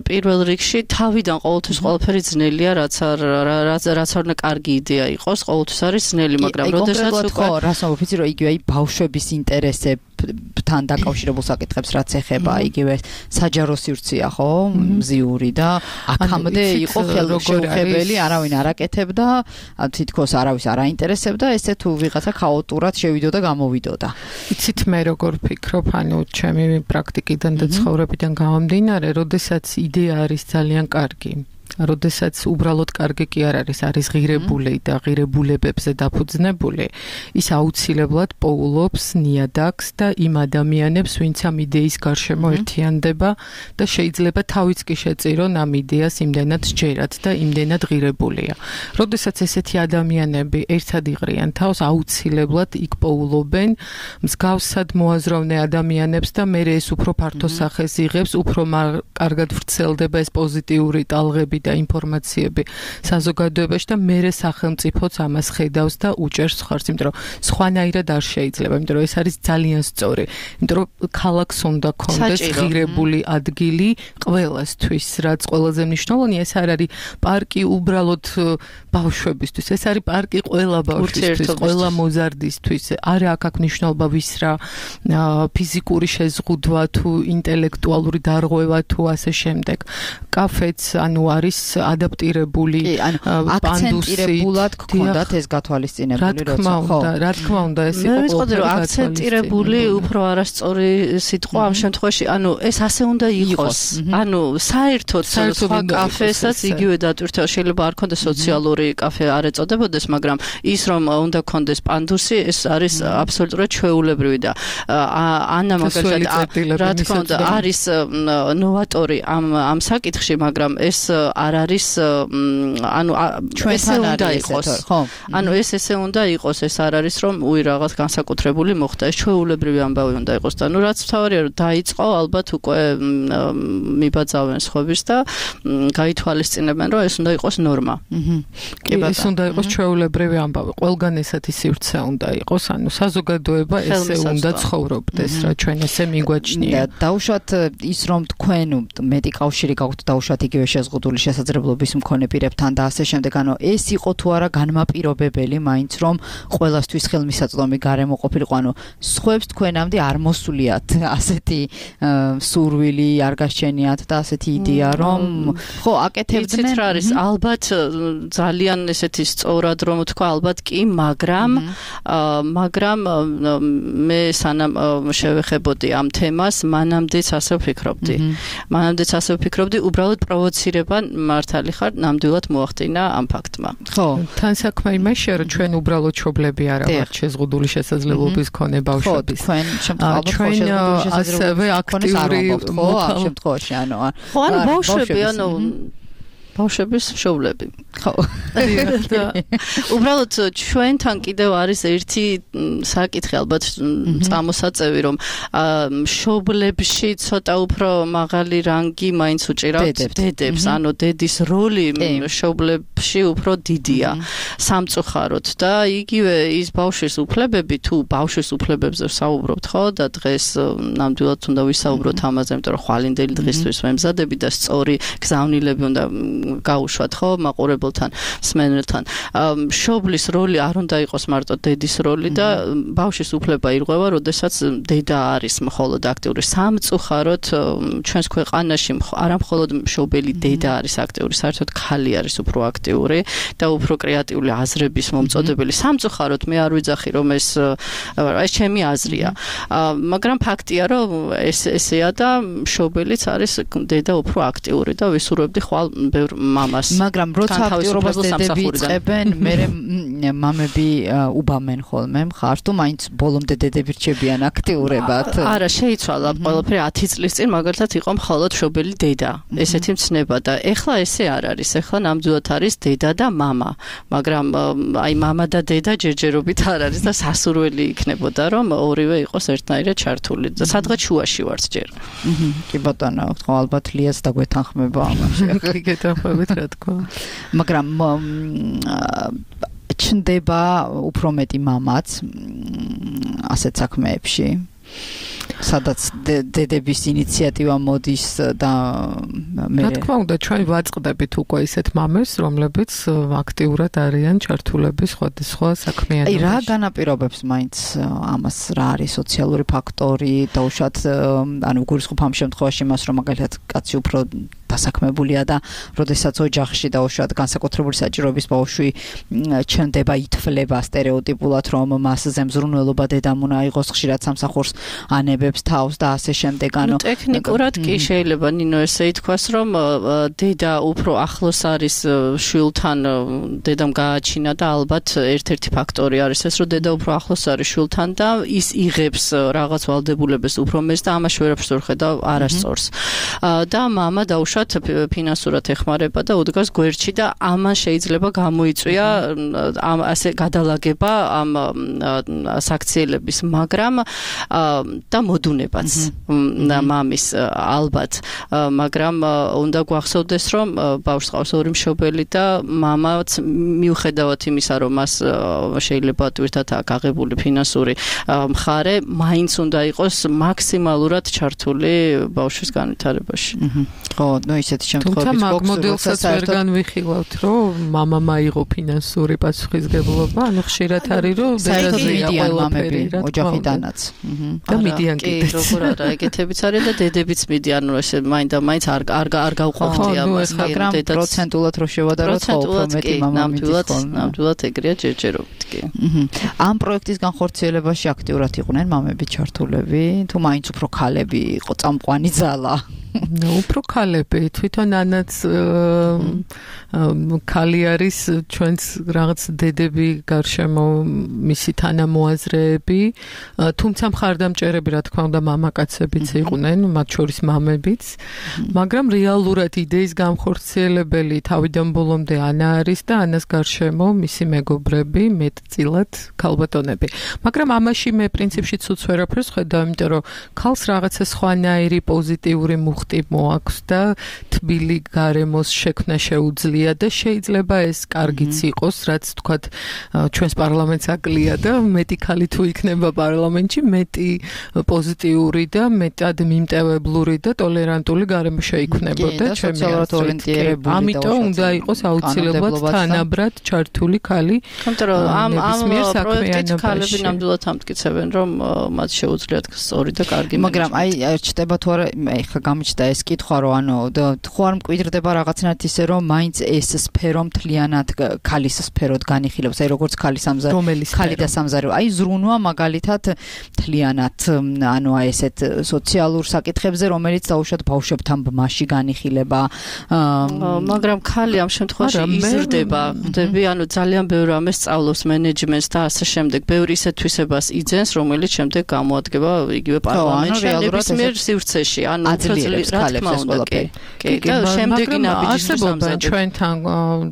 პირველ რიგში თავიდან ყოველთვის ყველაფერი ძნელია, რაც არ უნდა კარგი იდეა იყოს, ყოველთვის არის ძნელი, მაგრამ როდესაც უკვე რას ვფიცი, რომ იგივე აი ბავშვების ინტერესებთან დაკავშირებულ საკითხებს რაც ეხება, იგივე საჯარო სივრცეა, ხო, მზიური და აქამდე იყო ხელშეუხებელი, არავინ არ აკეთებდა, თითქოს არავის არ აინტერესებდა, ესე თუ ვიღაცა ქაოტურად შევიდოდა, გამოვიდოდა. იცით მე როგორ ვფიქრობ, ანუ ჩემი პრაქტიკიდან და ცხოვრებიდან გამომდინარე, როდესაც იდეა არის ძალიან კარგი. როდესაც უბრალოდ კარგი კი არ არის ღირებული და ღირებულებებზე დაფუძნებული, ის აუცილებლად პოულობს ნიადაგს და იმ ადამიანებს, ვინც ამ იდეის გარშემო ერთიანდება და შეიძლება თავიც კი შეწირონ ამ იდეას იმდენად სჯერათ და იმდენად ღირებულია. როდესაც ესეთი ადამიანები ერთად იღრიან თავს, აუცილებლად იქ პოულობენ მსგავსად მოაზროვნე ადამიანებს და მე ეს უფრო ფართო სახეს იღებს, უფრო კარგად ვრცელდება ეს პოზიტიური ტალღები და ინფორმაციები საზოგადოებაში და მე სახელმწიფოც ამას ხედავს და უჭერს ხარს, იმიტომ რომ სხვანაირად არ შეიძლება, იმიტომ რომ ეს არის ძალიან სწორი, იმიტომ რომ ქალაქს უნდა კონდეს ღირებული ადგილი ყველასთვის, რაც ყველაზე მნიშვნელოვანია, ეს არ არის პარკი უბრალოდ ბავშვებისთვის, ეს არის პარკი ყველა ბავშვისთვის, ყველა მოზარდისთვის, არა აქ მნიშვნელობა ვის რა ფიზიკური შეზღუდვა თუ ინტელექტუალური დარღვევა თუ ასე შემდეგ. კაფეც ანუ არის ადაპტირებული აქცენტირებულად გქონდათ ეს გათვალისწინებული, რა თქმა უნდა ეს იყო. მე ვიცოდი რომ აქცენტირებული უფრო არასწორი სიტყვა ამ შემთხვევაში, ანუ ეს ასე უნდა იყოს. ანუ საერთოდ სხვა კაფესაც იგივე დატვირთვა, შეიძლება არ ქონდეს სოციალური კაფე არ ეწოდებოდეს, მაგრამ ის რომ უნდა ქონდეს პანდუსი, ეს არის აბსოლუტურად ჩვეულებრივი და ანა მაგალითად რა თქმა უნდა არის ნოვატორი ამ საკითხში, მაგრამ ეს არ არის ანუ ესე უნდა იყოს, ხო? ანუ ესე უნდა იყოს, ეს არ არის რომ უი რაღაც განსაკუთრებული მოხდა, ეს ჩვეულებრივი ამბავი უნდა იყოს და ნუ რაც თავარია რომ დაიწყო, ალბათ უკვე მიბაძავენ სხვების და გაითვალისწინებენ რომ ეს უნდა იყოს ნორმა. კი, ეს უნდა იყოს ჩვეულებრივი ამბავი. ყველგან ესეთი სივრცე უნდა იყოს, ანუ საზოგადოება ესე უნდა ცხოვრობდეს, რა ჩვენ ესე მიგვაჩნია. დაუშვათ ის რომ თქვენ მეტი კავშირი გაქვთ დაუშვათ იგივე შეზღუდული შესაძლებლობის მქონე პირებთან და ასე შემდეგ, ანუ ეს იყო თუ არა განმაპირობებელი მაინც რომ ყველასთვის ხელმისაწვდომი გარემო ყოფილიყო, ანუ სხვებს თქვენამდე არ მოსულიათ ასეთი სურვილი, არ გასჩენიათ და ასეთი იდეა რომ ხო აკეთებდნენ. რა არის ალბათ ძალიან ესეთი სწორად რომ თქვა, ალბათ კი, მაგრამ მე სანამ შევეხებოდი ამ თემას, მანამდეც ასე ვფიქრობდი, უბრალოდ პროვოცირება მართალი ხარ, ნამდვილად მოახდინა ამ ფაქტმა. ხო, თან საქმე იმაშია, რომ ჩვენ უბრალოდ მშობლები არა ვართ შეზღუდული შესაძლებლობის მქონე ბავშვების. ხო, ჩვენ ასევე აქტიური ხო, ამ შემთხვევაში, ანუ ბავშვები, ანუ ბავშვების მშობლები. ხო. უბრალოდ ჩვენთან კიდევ არის ერთი საკითხი ალბათ წამოსაწევი, რომ მშობლებში ცოტა უფრო მაღალი რანგი მაინც უჭირავთ დედებს, ანუ დედის როლი მშობლებში უფრო დიდია სამწუხაროდ და იგივე ის ბავშვის უფლებები, თუ ბავშვის უფლებებზე ვსაუბრობთ, ხო, და დღეს ნამდვილად უნდა ვისაუბროთ ამაზე, იმიტომ რომ ხვალინდელი დღისთვის ვემზადები და სწორი გზავნილები უნდა გაუშვათ ხო მაყურებელთან, მსმენელთან. მშობლის როლი არ უნდა იყოს მარტო დედის როლი და ბავშვის უფლება ირღვევა, როდესაც დედა არის მხოლოდ აქტიური. სამწუხაროდ ჩვენს ქვეყანაში არა მხოლოდ მშობელი დედა არის აქტიური, საერთოდ ხალი არის უფრო აქტიური და უფრო კრეატიული აზრების მომწოდებელი. სამწუხაროდ მე არ ვიძახი რომ ეს ჩემი აზრია. მაგრამ ფაქტია რომ ესეა და მშობელიც არის დედა უფრო აქტიური და ვისურვებდი ხვალ ბევრ მამას. მაგრამ როცა აქტიურობას დედები იწყებენ, მერე მამები უბამენ ხოლმე მხარს თუ მაინც ბოლომდე დედები რჩებიან აქტიურებად. არა, შეიცვალა ყველაფერი 10 წლის წინ მაგალითად იყო მხოლოდ მშობელი დედა. ესეთი მცნება და ეხლა ესე არ არის. ეხლა ნამდვილად არის დედა და მამა. მაგრამ აი მამა და დედა ჯერჯერობით არ არის და სასურველი იქნებოდა რომ ორივე იყოს ერთნაირად ჩართული და სადღაც შუაში ვართ ჯერ. კი ბატონო, ხო ალბათ ლიას დაგვეთანხმება ამაში. კი გეთანხმებით რა თქმა. მაგრამ ჩნდება უფრო მეტი მამაც ასეთ საქმეებში. სადაც დედების ინიციატივა მოდის და მე რა თქმა უნდა ჩვენ ვაწყდებით უკვე ისეთ მამებს რომლებიც აქტიურად არიან ჩართულები სხვადასხვა საქმიანობაში. აი რა განაპირობებს მაინც ამას რა არის სოციალური ფაქტორი და უშუალოდ ანუ გულისხმობ ამ შემთხვევაში მას რომ მაგალითად კაცი უფრო დასაქმებულია და როდესაც ოჯახში და უშუალოდ განსაკუთრებული საჭიროების ბავშვი ჩნდება ითვლება სტერეოტიპულად რომ მასზე მზრუნველობა დედამ უნდა იყოს ხშირად სამსახურს ანებებს თავს და ასე შემდეგ ანუ ტექნიკურად კი შეიძლება ნინო ესე ითქვას რომ დედა უფრო ახლოს არის შვილთან დედამ გააჩინა და ალბათ ერთ-ერთი ფაქტორი არის ეს რომ დედა უფრო ახლოს არის შვილთან და ის იღებს რაღაც ვალდებულებას უფრო მეც და ამაში ვერაფერს ვერ ხედავ არასწორს და მამა დაუშვათ ფინანსურად ეხმარება და უდგას გვერდში და ამან შეიძლება გამოიწვია ამ ასე გადალაგება ამ საქციელების მაგრამ და მოდუნებაც მამის ალბათ მაგრამ უნდა გვახსოვდეს რომ ბავშვს ყავს ორი მშობელი და მამაც მიუხედავად იმისა რომ მას შეიძლება თვითონ აღებული ფინანსური მხარე მაინც უნდა იყოს მაქსიმალურად ჩართული ბავშვის განვითარებაში. ხო, ნუ ისეთი შემთხვევები თუმცა მაგ მოდელსაც ვერ განვიხილავთ რომ მამა მაიღო ფინანსური პასუხისგებლობა, ანუ ხშირად არის რომ დედაზეა ყველაფერი ოჯახიდანაც. და მიდიან კიდეც. როგორ არა, ეგეთებიც არის და დედებიც მიდიან, ანუ ესე მაინც არ გავყვავდი ამას, მაგრამ პროცენტულად რო შევადაროთ ხო უფრო მეტი მამა მიდის. ნამდვილად ეგრეა ჯერჯერობით კი. ამ პროექტის განხორციელებაში აქტიურად იყვნენ მამები ჩართულები, თუ მაინც უფრო ქალები იყო წამყვანი ძალა? უფრო ქალები თვითონ ანაც ქალი არის ჩვენს რაღაც დედები გარშემო მისი თანამოაზრეები თუმცა მხარდამჭერები რა თქმა უნდა მამაკაცებიც იყვნენ მათ შორის მამებიც მაგრამ რეალურად იდეის განხორციელებელი თავიდან ბოლომდე ანა არის და ანას გარშემო მისი მეგობრები მეტწილად ქალბატონები მაგრამ ამაში მე პრინციპში ცუც ვერაფერს ხედავ იმიტომ რომ ქალს რაღაცა სხვანაირი პოზიტიური მოაქვს და თბილი გარემოს შექმნა შეუძლია და შეიძლება ეს კარგიც იყოს, რაც თქვათ ჩვენს პარლამენტს აკლია და მეტი ქალი თუ იქნება პარლამენტში, მეტი პოზიტიური და მეტად მიმტევებლური და ტოლერანტული გარემო შეიქმნებოდა ჩემი აზრით. ამიტომ უნდა იყოს აუცილებლად თანაბრად ჩართული ქალი. იმიტომ რომ ამ პროექტით ქალები ნამდვილად ამტკიცებენ, რომ მათ შეუძლიათ სწორი და კარგი მაგრამ აი ჩდება თუ არა ეხლა გამიჩნდა ეს კითხვა რომ ანუ ხო არ მკვიდრდება რაღაცნაირად ისე რომ მაინც ეს სფერო მთლიანად ქალის სფეროდ განიხილავს აი როგორც ქალი და სამზარეულო აი ზრუნვა მაგალითად მთლიანად ანუ აი ესეთ სოციალურ საკითხებზე რომელიც დაუშვათ ბავშვებთან ბმაში განიხილება მაგრამ ქალი ამ შემთხვევაში იზრდება ხვდები ანუ ძალიან ბევრი ამას სწავლობს მენეჯმენტს და ასე შემდეგ ბევრი ისეთ თვისებას იძენს რომელიც შემდეგ გამოადგება იგივე პარლამენტში ნებისმიერ სივრცეში ანუ შემდეგი არსებობენ ჩვენთან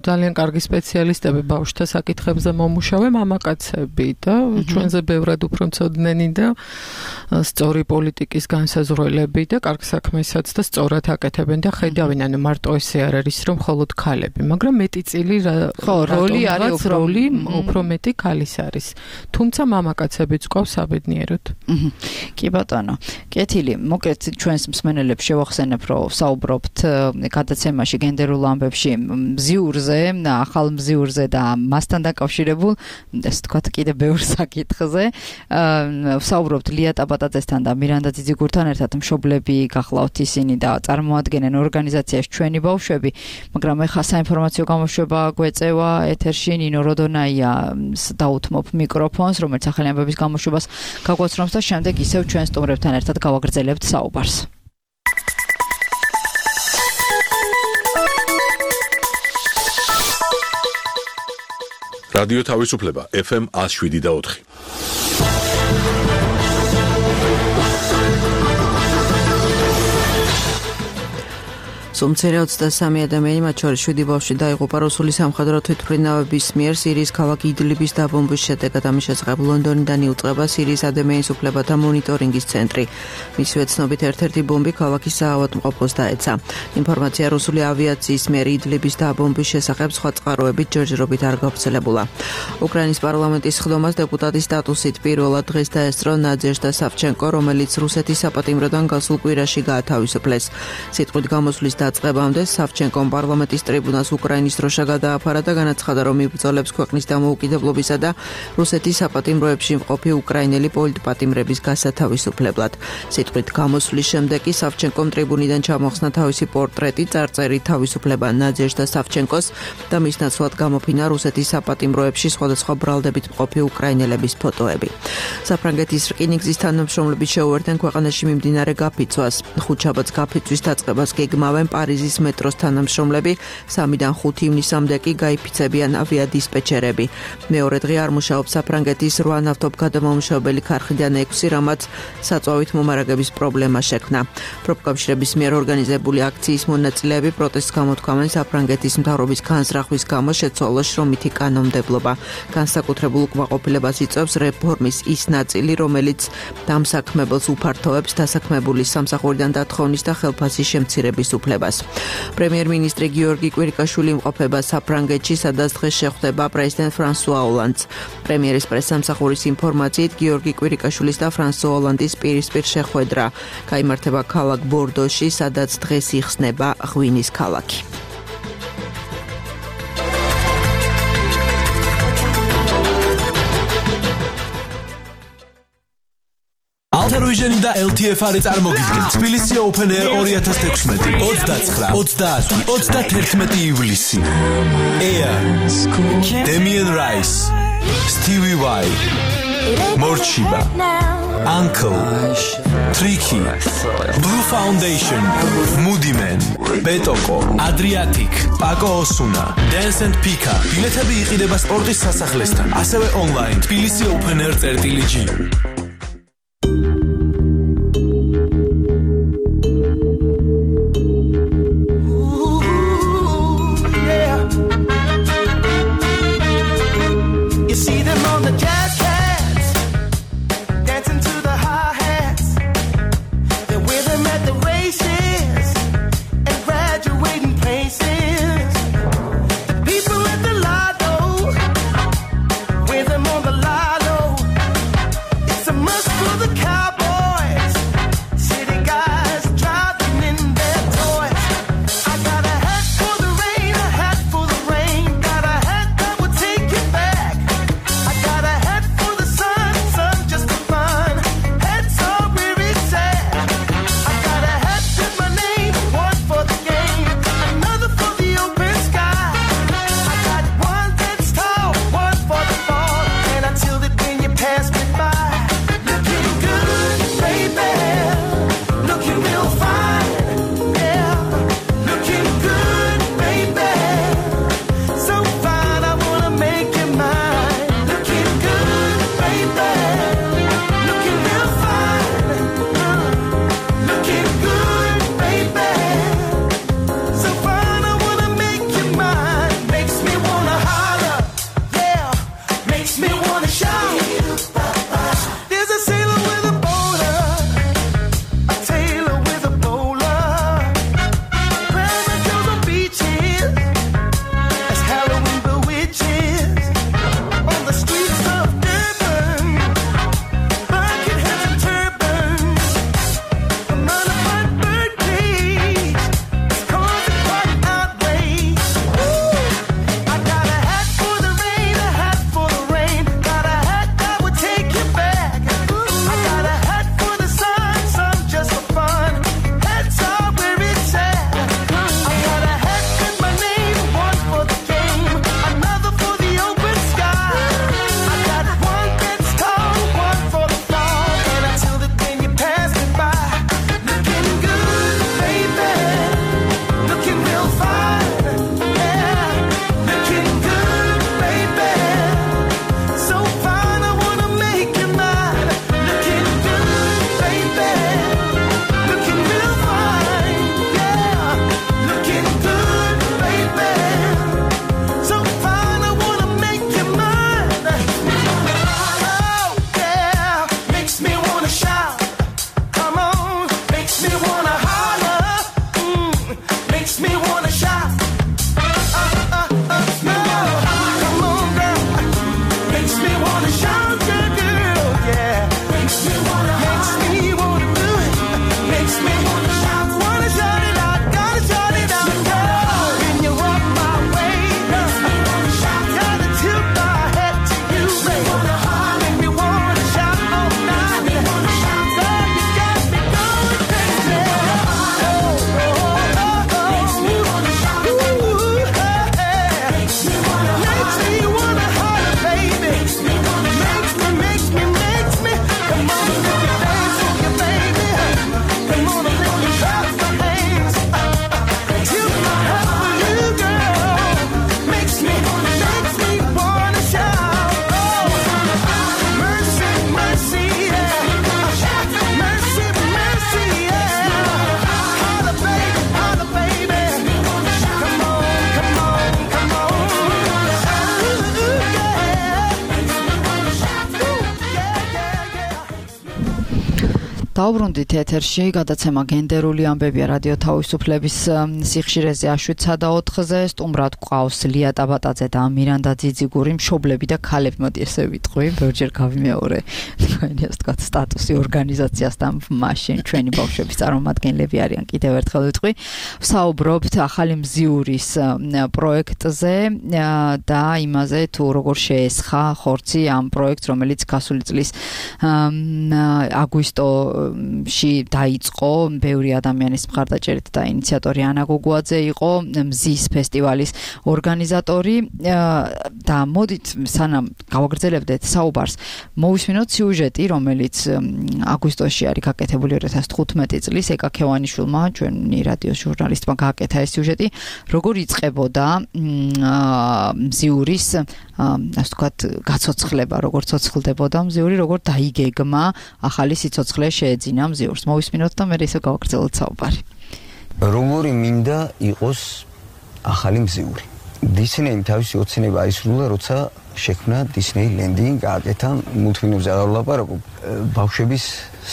ძალიან კარგი სპეციალისტები ბავშვთა საკითხებზე მომუშავე მამაკაცები და ჩვენზე ბევრად უფრო მცოდნენი და სწორი პოლიტიკის განსაზღვრელები და კარგ საქმესაც და სწორად აკეთებენ და ხედავენ ანუ მარტო ესე არ არის რომ მხოლოდ ქალები მაგრამ მეტი წილი როლი არის უფრო მეტი ქალის არის თუმცა მამაკაცებიც ყავს საბედნიეროდ კი ბატონო კეთილი მოკლედ ჩვენს მსმენელებს შევახსენებ, რომ საუბრობთ გადაცემაში გენდერულ ამბებში მზიურზე, ახალ მზიურზე და მასთან დაკავშირებულ, ეს თქვათ კიდე ბევრ საკითხზე. საუბრობთ ლია ტაბატაძესთან და მირანდა ძიძიგურთან ერთად მშობლები გახლავთ ისინი და წარმოადგენენ ორგანიზაციაში ჩვენი ბავშვები, მაგრამ ეხლა საინფორმაციო გამოშვება გვეწევა ეთერში ნინო როდონაია დაუთმობ მიკროფონს, რომელიც ახალი ამბების გამოშვებას გაგვაცნობს და შემდეგ ისევ ჩვენ სტუმრებთან ერთად გავაგრძელებთ საუბარს. რადიო თავისუფლება FM 107.4. სომცერე 23 ადამიანი, მათ შორის 7 ბავშვი დაიღუპა რუსული სამხედრო თვითმფრინავების მიერ სირიის ქალაქ იდლიბის დაბომბვის შედეგად. ამის შესახებ ლონდონიდან იუწყება სირიის ადამიანის უფლებათა მონიტორინგის ცენტრი. მისივე ცნობით ერთ-ერთი ბომბი ქალაქის საავადმყოფოს დაეცა. ინფორმაცია რუსული ავიაციის მიერ იდლიბის დაბომბვის შესახებ სხვა წყაროებით ჯერჯერობით არ გავრცელებულა. უკრაინის პარლამენტის ხდომას დეპუტატის სტატუსით პირველად დღეს დაესწრო ნაძეჟდა სავჩენკო, რომელიც რუსეთის საპატიმროდან გასულ კვირაში გაათავისუფლეს. სიტყვით გამოსვლის დაწყებამდე სავჩენკომ პარლამენტის ტრიბუნას უკრაინის დროშა გადააფარა და განაცხადა, რომ იბრძოლებს ქვეყნის დამოუკიდებლობისა და რუსეთის საპატიმროებში მყოფი უკრაინელი პოლიტპატიმრების გასათავისუფლებლად. სიტყვით გამოსვლის შემდეგ კი სავჩენკომ ტრიბუნიდან ჩამოხსნა თავისი პორტრეტი, წარწერით თავისუფლება ნაძეჟდა სავჩენკოს და მის ნაცვლად გამოფინა რუსეთის საპატიმროებში სხვადასხვა ბრალდებით მყოფი უკრაინელების ფოტოები. საფრანგეთის რკინიგზის თანამშრომლები შეუერთდნენ ქვეყანაში მიმდინარე გაფიცვას. ხუთშაბათს გაფიცვის დაწყებას გეგმავენ პარიზის მეტროს თანამშრომლები, 3-დან 5 ივნისამდე კი გაიფიცებიან ავიადისპეჩერები. მეორე დღე არ მუშაობს საფრანგეთის 8 ნავთობგადამამუშავებელი ქარხნიდან 6, რამაც საწვავით მომარაგების პრობლემა შექმნა. პროფკავშირების მიერ ორგანიზებული აქციის მონაწილეები პროტესტს გამოთქვამენ საფრანგეთის მთავრობის განზრახვის გამო შეცვალოს შრომითი კანონმდებლობა. განსაკუთრებულ უკმაყოფილებას იწვევს რეფორმის ის ნაწილი, რომელიც დამსაქმებელს უფართოვებს დასაქმებულის სამსახურიდან დათხოვნის და ხელფასის შემცირების უფლებას. პრემიერ-მინისტრი გიორგი კვირიკაშვილი იმყოფება საფრანგეთში, სადაც დღეს შეხვდება პრეზიდენტ ფრანსუა ოლანდს. პრემიერის პრესსამსახურის ინფორმაციით გიორგი კვირიკაშვილის და ფრანსუა ოლანდის პირისპირ შეხვედრა გაიმართება ქალაქ ბორდოში, სადაც დღეს იხსნება ღვინის ქალაქი. Altaruiženi და LTF-არი წარმოგიდგენთ თბილისი Open Air 2016 29-31 ივლისი. Air, Damien Rice, Stevie Y, Morchiba, Uncle, Tricky, Blue Foundation, Moody Man, Betoko, Adriatic, Paco Osuna, Dance and Pika. ბილეთები იყიდება სპორტის სასახლესთან, ასევე online თბილისი Open Air.g. It's a wanna holler, makes me wanna shout. No, come on, girl, makes me wanna shout, girl, yeah. Makes me wanna do it, makes me wanna shout it out, gotta shout it out, girl. When you walk my way, girl, gotta tilt my head to you, baby. Make me wanna shout all night, girl, you got me going crazy. Makes me wanna shout, makes me wanna holler, baby. Makes me, come on, let me dance with you, baby. Come on, let me clap my hands. Tilt my head for you, girl. Makes me wanna shout. Oh, mercy, mercy, yeah. Mercy, mercy, yeah. Holla, baby, holla, baby. Come on, come on, come on. დაუბრუნდით ეთერში გადაცემა გენდერული ამბებია რადიო თავისუფლების სიხშირეზე აშვით 4-ზე სტუმრად გვყავს ლია ტაბატაძე და მირანდა ძიძიგური მშობლები და ქალები მოდი ესე ვიტყვი ბევრჯერ გავიმეორე თქვენი ასე ვთქვათ სტატუსი ორგანიზაციასთან მაშინ ჩვენი ბავშვების წარმომადგენლები არიან კიდევ ერთხელ ვიტყვი ვსაუბრობთ ახალი მზიურის პროექტზე და იმაზე თუ როგორ შეესხა ხორცი ამ პროექტს რომელიც გასული წლის აგვისტოში დაიწყო ბევრი ადამიანის მხარდაჭერით და ინიციატორი ანა გოგუაძე იყო მზის ფესტივალის ორგანიზატორი და მოდით სანამ გავაგრძელებდეთ საუბარს მოვისმინოთ სიუჟეტი რომელიც აგვისტოში არის გაკეთებული 2015 წლის ეკა ქევანიშვილმა ჩვენი რადიოს ჟურნალისტმა გააკეთა ეს სიუჟეტი როგორ იწყებოდა მზიურის ასე ვთქვათ გაცოცხლება როგორ ცოცხლდებოდა მზიური როგორ დაიგეგმა ახალი სიცოცხლე შეეძინა მზიურს მოვისმინოთ და მე ისე გავაგრძელოთ საუბარი როგორი მინდა იყოს ახალი მზიური დისნეიმ თავისი ოცნება აისრულა როცა შექმნა დისნეი ლენდი გააკეთა მულტფილმებზე არ ვლაპარაკობ ბავშვების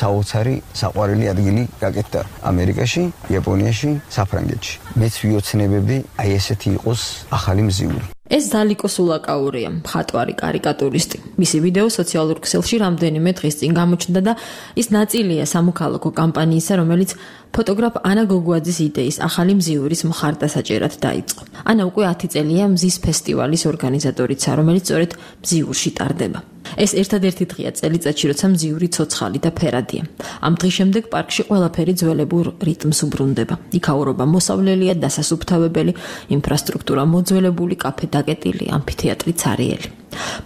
საოცარი საყვარელი ადგილი გაკეთდა ამერიკაში იაპონიაში საფრანგეთში მეც ვიოცნებები აი ესეთი იყოს ახალი მზიური ეს დალიკო სულაკაურია, მხატვარი, კარიკატურისტი. მისი ვიდეო სოციალურ ქსელში რამდენიმე დღის წინ გამოჩნდა და ის ნაწილია სამოქალაქო კამპანიისა, რომელიც ფოტოგრაფ ანა გოგუაძის იდეის ახალი მზიურის მხარდასაჭერად დაიწყო. ანა უკვე 10 წელია მზის ფესტივალის ორგანიზატორიცა, რომელიც სწორედ მზიურში ტარდება. ეს ერთადერთი დღეა წელიწადში, როცა მზიური ცოცხალი და ფერადია. ამ დღის შემდეგ პარკში ყველაფერი ძველებურ რიტმს უბრუნდება. იქაურობა მოსავლელია, დასასუფთავებელი, ინფრასტრუქტურა მოძველებული, კაფე დაკეტილი, ამფითეატრი ცარიელი.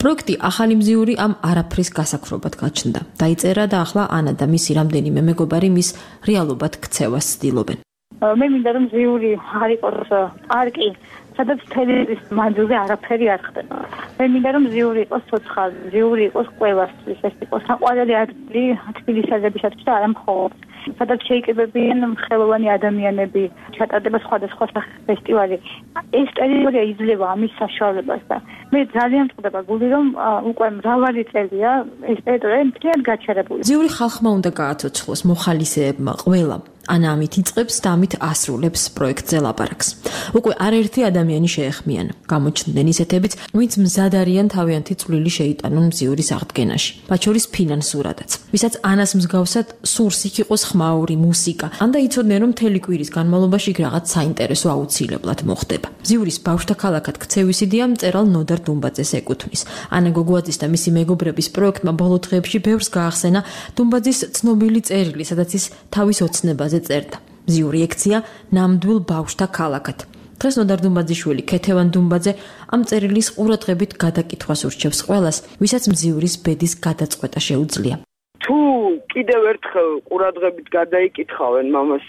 პროექტი ახალი მზიური ამ არაფრის გასაქრობად გაჩნდა. დაიწერა და ახლა ანა და მისი რამდენიმე მეგობარი მის რეალობად ქცევას ცდილობენ. მე მინდა რომ მზიური არ იყოს პარკი სადაც თელევის მანძილზე არაფერი არ ხდება. მე მინდა რომ მზიური იყოს ცოცხალი, მზიური იყოს ყველასთვის, ეს იყოს საყვარელი ადგილი თბილისელებისათვის და არა მხოლოდ. სადაც შეიკრიბებიან ხელოვანი ადამიანები, ჩატარდება სხვადასხვა სახის ფესტივალი. ეს ტერიტორია იძლევა ამის საშუალებას და მე ძალიან მწყდება გული რომ უკვე მრავალი წელია ეს ტერიტორია მთლიანად გაჩერებული. მზიური ხალხმა უნდა გააცოცხლოს მოხალისეებმა ყველამ. ანა ამით იწყებს და ამით ასრულებს პროექტზე ლაპარაკს. უკვე არაერთი ადამიანი შეეხმიან. გამოჩნდნენ ისეთებიც, ვინც მზად არიან თავიანთი წვლილი შეიტანონ მზიურის აღდგენაში. მათ შორის ფინანსურადაც. ვისაც ანას მსგავსად სურს იქ იყოს ხმაური მუსიკა. ან და იცოდნენ რომ მთელი კვირის განმავლობაში რაღაც საინტერესო აუცილებლად მოხდება. მზიურის ბავშვთა ქალაქად ქცევის იდეა მწერალ ნოდარ დუმბაძეს ეკუთვნის. ანა გოგუაძის და მისი მეგობრების პროექტმა ბოლო დღეებში ბევრს გაახსენა დუმბაძის ცნობილი წერილი, სადაც ის თავის ოცნებაზე წერდა. მზიური ექცია ნამდვილ ბავშვთა ქალაქად. დღეს ნოდარ დუმბაძიშვილი ქეთევან დუმბაძე ამ წერილის ყურადღებით გადაკითხვას ურჩევს ყველას, ვისაც მზიურის ბედის გადაწყვეტა შეუძლია. თუ კიდევ ერთხელ ყურადღებით გადაიკითხავენ მამას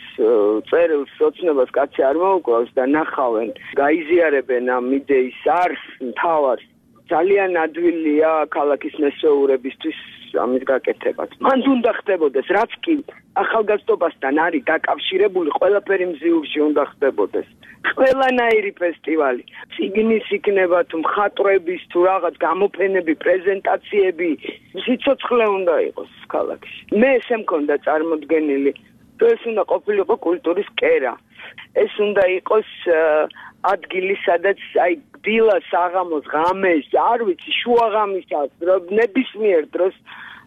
წერილს ოცნებას კაცი არ მოუკლავს და ნახავენ, გაიზიარებენ ამ იდეის არს, მთავარს, ძალიან ადვილია ქალაქის მესვეურებისთვის ამის გაკეთებაც. მან უნდა ხდებოდეს, რაც კი ახალგაზრდობასთან არის დაკავშირებული, ყველაფერი მზიურში უნდა ხდებოდეს. ყველანაირი ფესტივალი, წიგნის იქნება თუ მხატვრების თუ რაღაც გამოფენები, პრეზენტაციები, სიცოცხლე უნდა იყოს ქალაქში. მე ესე მქონდა წარმოდგენილი თუ ეს უნდა ყოფილიყო კულტურის კერა. ეს უნდა იყოს ადგილი, სადაც აი დილას, საღამოს, ღამეს, არ ვიცი, შუაღამისას, ნებისმიერ დროს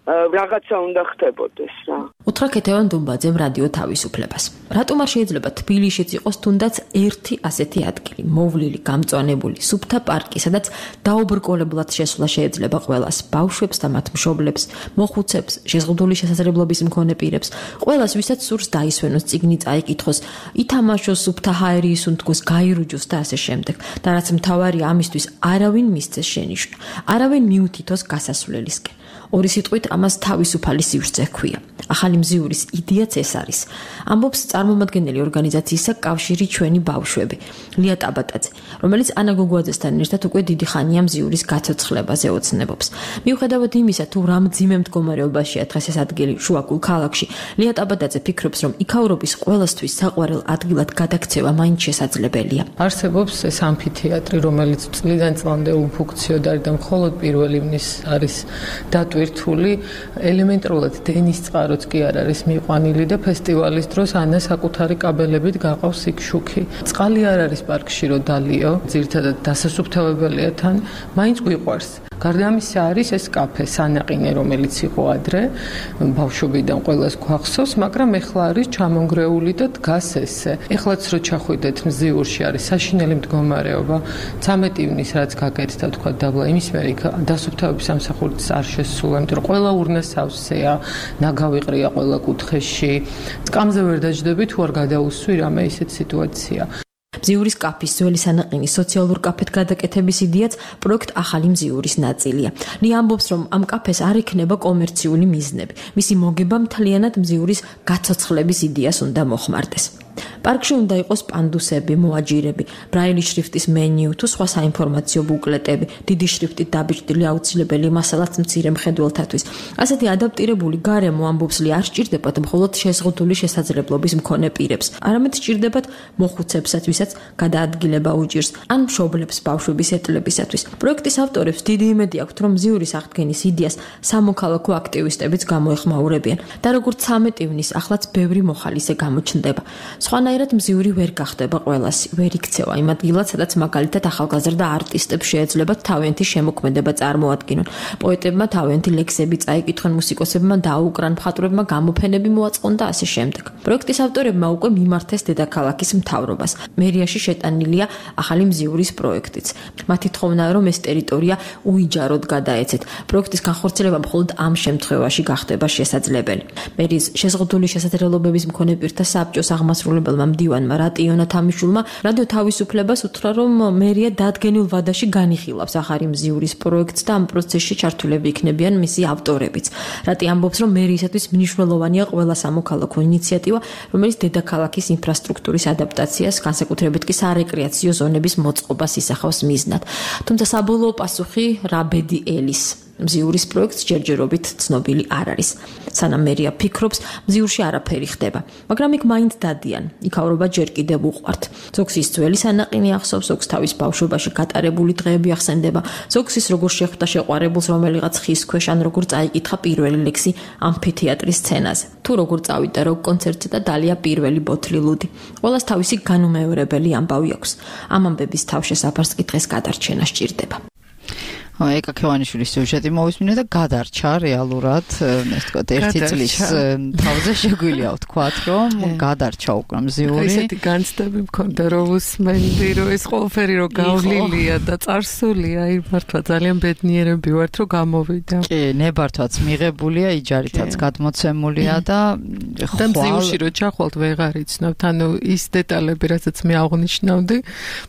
რაღაცა უნდა ხდებოდეს რა. უთხრა ქეთევან დუმბაძემ რადიო თავისუფლებას. რატომ არ შეიძლება თბილისშიც იყოს თუნდაც ერთი ასეთი ადგილი, მოვლილი, გამწვანებული, სუფთა პარკი, სადაც დაუბრკოლებლად შესვლა შეიძლება ყველას, ბავშვებს და მათ მშობლებს, მოხუცებს, შეზღუდული შესაძლებლობის მქონე პირებს, ყველას, ვისაც სურს დაისვენოს, წიგნი წაიკითხოს, ითამაშოს, სუფთა ჰაერი ისუნთქოს, გაირუჯოს და ასე შემდეგ. და რაც მთავარია, ამისთვის არავინ მისცეს შენიშვნა, არავინ მიუთითოს გასასვლელისკენ. ორი სიტყვით ამას თავისუფალი სივრცე ჰქვია. ახალი მზიურის იდეაც ეს არის. ამბობს წარმომადგენელი ორგანიზაციისა კავშირი ჩვენი ბავშვები, ლია ტაბატაძე, რომელიც ანა გოგუაძესთან ერთად უკვე დიდი ხანია მზიურის გაცოცხლებაზე ოცნებობს. მიუხედავად იმისა, თუ რა მძიმე მდგომარეობაშია დღეს ეს ადგილი შუაგულ ქალაქში, ლია ტაბატაძე ფიქრობს, რომ იქაურობის ყველასთვის საყვარელ ადგილად გადაქცევა მაინც შესაძლებელია. არსებობს ეს ამფითეატრი, რომელიც წლიდან წლამდე უფუნქციონალური და მხოლოდ პირველ ივნის არის დატვირთული, ელემენტარულად დენის წყაროც კი არ არის მიყვანილი და ფესტივალის დროს ანა საკუთარი კაბელებით გაყავს იქ შუქი. წყალი არ არის პარკში რო დალიო, ძირითადად დასასუფთავებელია თან, მაინც გვიყვარს. გარდა ამისა არის ეს კაფე სანაყინე, რომელიც იყო ადრე, ბავშვობიდან ყველას გვახსოვს, მაგრამ ეხლა არის ჩამონგრეული და დგას ესე. ეხლაც რო ჩახვიდეთ მზიურში არის საშინელი მდგომარეობა, 13 ივნის რაც გაკეთდა თქვა დაბლა, იმის მერე დასუფთავების სამსახურიც არ შესულა, იმიტომ რომ ყველა ურნა სავსეა, ნაგავიყრია ყველა კუთხეში. წკამზე ვერ დაждები თუ არ გადაუსვი რამე ისეთ სიტუაცია. მზიურის კაფის ძველი სანაყინის სოციალურ კაფედ გადაკეთების იდეაც პროექტ ახალი მზიურის ნაწილია. ლია ამბობს, რომ ამ კაფეს არ იქნება კომერციული მიზნები. მისი მოგება მთლიანად მზიურის გაცოცხლების იდეას უნდა მოხმარდეს. პარკში უნდა იყოს პანდუსები, მოაჯირები, ბრაილის შრიფტის მენიუ თუ სხვა საინფორმაციო ბუკლეტები, დიდი შრიფტით დაბეჭდილი აუცილებელი მასალაც მცირე მხედველთათვის. ასეთი ადაპტირებული გარემო ამბობს ლია არ სჭირდებათ მხოლოდ შეზღუდული შესაძლებლობის მქონე პირებს, არამედ სჭირდებათ მოხუცებსაც, ვისაც გადაადგილება უჭირს, ან მშობლებს ბავშვების ეტლებისათვის. პროექტის ავტორებს დიდი იმედი აქვთ, რომ მზიურის აღდგენის იდეას სამოქალაქო აქტივისტებიც გამოეხმაურებიან და როგორც 13 ივნის ახლაც ბევრი მოხალისე გამოჩნდება. სხვანაირად მზიური ვერ გახდება ყველასი, ვერ იქცევა იმ ადგილად, სადაც მაგალითად ახალგაზრდა არტისტებს შეეძლებათ თავიანთი შემოქმედება წარმოადგინონ. პოეტებმა თავიანთი ლექსები წაიკითხონ, მუსიკოსებმა დაუკრან, მხატვრებმა გამოფენები მოაწყონ და ასე შემდეგ. პროექტის ავტორებმა უკვე მიმართეს დედაქალაქის მთავრობას. მერიაში შეტანილია ახალი მზიურის პროექტიც. მათი თხოვნაა, რომ ეს ტერიტორია უიჯაროდ გადაეცეთ. პროექტის განხორციელება მხოლოდ ამ შემთხვევაში გახდება შესაძლებელი. მერის შეზღუდული შესაძლებლობების მქონე პირთა საბჭოს აღმასრულებელმა მდივანმა რატიონა თამიშულმა რადიო თავისუფლებას უთხრა, რომ მერია დადგენილ ვადაში განიხილავს ახალი მზიურის პროექტს და ამ პროცესში ჩართულები იქნებიან მისი ავტორებიც. რატი ამბობს, რომ მერიისათვის მნიშვნელოვანია ყველა სამოქალაქო ინიციატივა, რომელიც დედაქალაქის ინფრასტრუქტურის ადაპტაციას, განსაკუთრებით კი სარეკრეაციო ზონების მოწყობას ისახავს მიზნად. თუმცა საბოლოო პასუხი რა ბედი ელის მზიურის პროექტს ჯერჯერობით ცნობილი არ არის. სანამ მერია ფიქრობს, მზიურში არაფერი ხდება, მაგრამ იქ მაინც დადიან. იქაურობა ჯერ კიდევ უყვართ. ზოგს ის ძველი სანაყინი ახსოვს, ზოგს თავის ბავშვობაში გატარებული დღეები ახსენდება, ზოგს ის როგორ შეხვდა შეყვარებულს რომელიღაც ხის ქვეშ, ან როგორ წაიკითხა პირველი ლექსი ამფითეატრის სცენაზე. თუ როგორ წავიდა როკ კონცერტზე და დალია პირველი ბოთლი ლუდი. ყველას თავისი განუმეორებელი ამბავი აქვს. ამ ამბების თავშესაფარს კი დღეს გადარჩენა სჭირდება. ეკა ქევანიშვილის სიუჟეტი მოვისმინე და გადარჩა რეალურად, ეს თქვა ერთი წლის თავზე შეგვიძლია ვთქვათ, რომ გადარჩა უკვე მზიური. ესეთი განცდები მქონდა რომ უსმენდი, რომ ეს ყველაფერი რომ გავლილია და წარსულია, აი მართლა ძალიან ბედნიერები ვართ რომ გამოვიდა. კი, ნებართვაც მიღებულია, იჯარითაც გადმოცემულია და მზიურში რომ ჩახვალთ ვეღარ იცნობთ, ანუ ის დეტალები, რასაც მე აღნიშნავდი,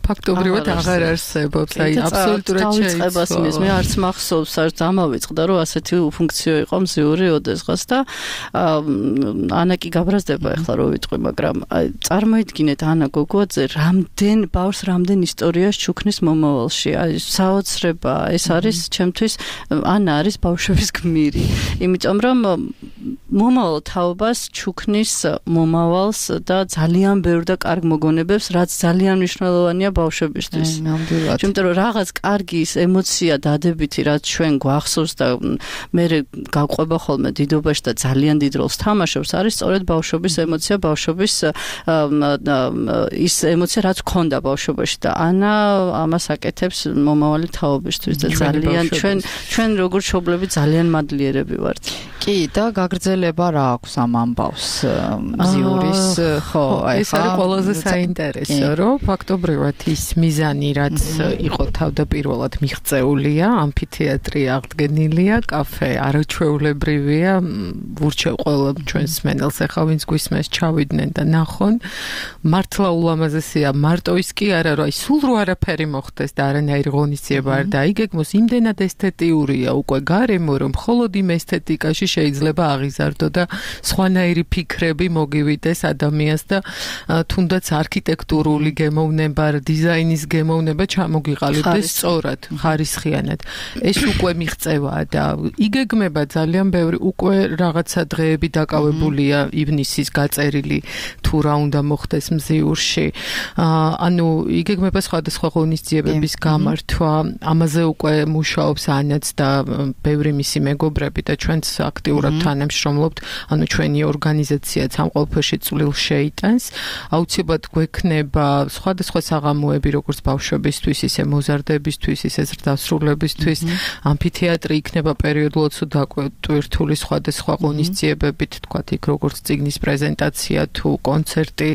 ფაქტობრივად აღარ არსებობს, აი აბსოლუტურად შეიცვალა. მე არც მახსოვს, არც ამავიწყდა, რომ ასეთი უფუნქციო იყო მზიური ოდესღაც და ანა კი გაბრაზდება ახლა რო ვიტყვი, მაგრამ წარმოიდგინეთ ანა გოგუაძე რამდენ ბავშვს რამდენ ისტორიას ჩუქნის მომავალში. აი საოცრება, ეს არის ჩემთვის ანა არის ბავშვების გმირი. იმიტომ რომ მომავალ თაობას ჩუქნის მომავალს და ძალიან ბევრ და კარგ მოგონებებს, რაც ძალიან მნიშვნელოვანია ბავშვებისთვის. ნამდვილად. იმიტომ რომ რაღაც კარგი ემოცია დადებითი, რაც ჩვენ გვახსოვს და მე გავყვება ხოლმე დიდობაში და ძალიან დიდ როლს თამაშობს, არის სწორედ ბავშვობის ემოცია, ბავშვობის ის ემოცია, რაც ქონდა ბავშვობაში და ანა ამას აკეთებს მომავალი თაობისთვის და ძალიან ჩვენ როგორც მშობლები ძალიან მადლიერები ვართ. კი, და გაგრძელება რა აქვს ამ ამბავს მზიურის, ხო, ეს არის ყველაზე საინტერესო, რომ ფაქტობრივად ის მიზანი, რაც იყო თავდაპირველად მიღწეულია, ამფითეატრი აღდგენილია, კაფე არაჩვეულებრივია, ვურჩევ ყველა ჩვენს მენელს ახლა ვინც გვისმენს ჩავიდნენ და ნახონ, მართლა ულამაზესია, მარტო ის კი არა, რომ სულ რო არაფერი მოხდეს და არანაირი ღონისძიება არ დაიგეგმოს, იმდენად ესთეტიურია უკვე გარემო, რომ მხოლოდ იმ ესთეტიკაში შეიძლება აღიზარდო და სხვანაირი ფიქრები მოგივიდეს ადამიანს და თუნდაც არქიტექტურული გემოვნება, დიზაინის გემოვნება ჩამოგიყალიბდეს სწორად, ხარისხიანად. ეს უკვე მიღწევაა და იგეგმება ძალიან ბევრი უკვე რაღაცა დღეები დაკავებულია ივნისის გაწერილი თუ რა უნდა მოხდეს მზიურში. ანუ იგეგმება სხვადასხვა ღონისძიებების გამართვა, ამაზე უკვე მუშაობს ანაც და ბევრი მისი მეგობრები და ჩვენც აქტიურად თანამშრომლობთ, ანუ ჩვენი ორგანიზაციაც ამ ყველაფერში წვლილს შეიტანს. აუცილებლად გვექნება სხვადასხვა საღამოები, როგორც ბავშვებისთვის, ისე მოზარდებისთვის, ისე ზრდასრულებისთვის. ამფითეატრი იქნება პერიოდულად დაკვირტული სხვადასხვა ღონისძიებებით, თქვათ იქ როგორც წიგნის პრეზენტაცია თუ კონცერტი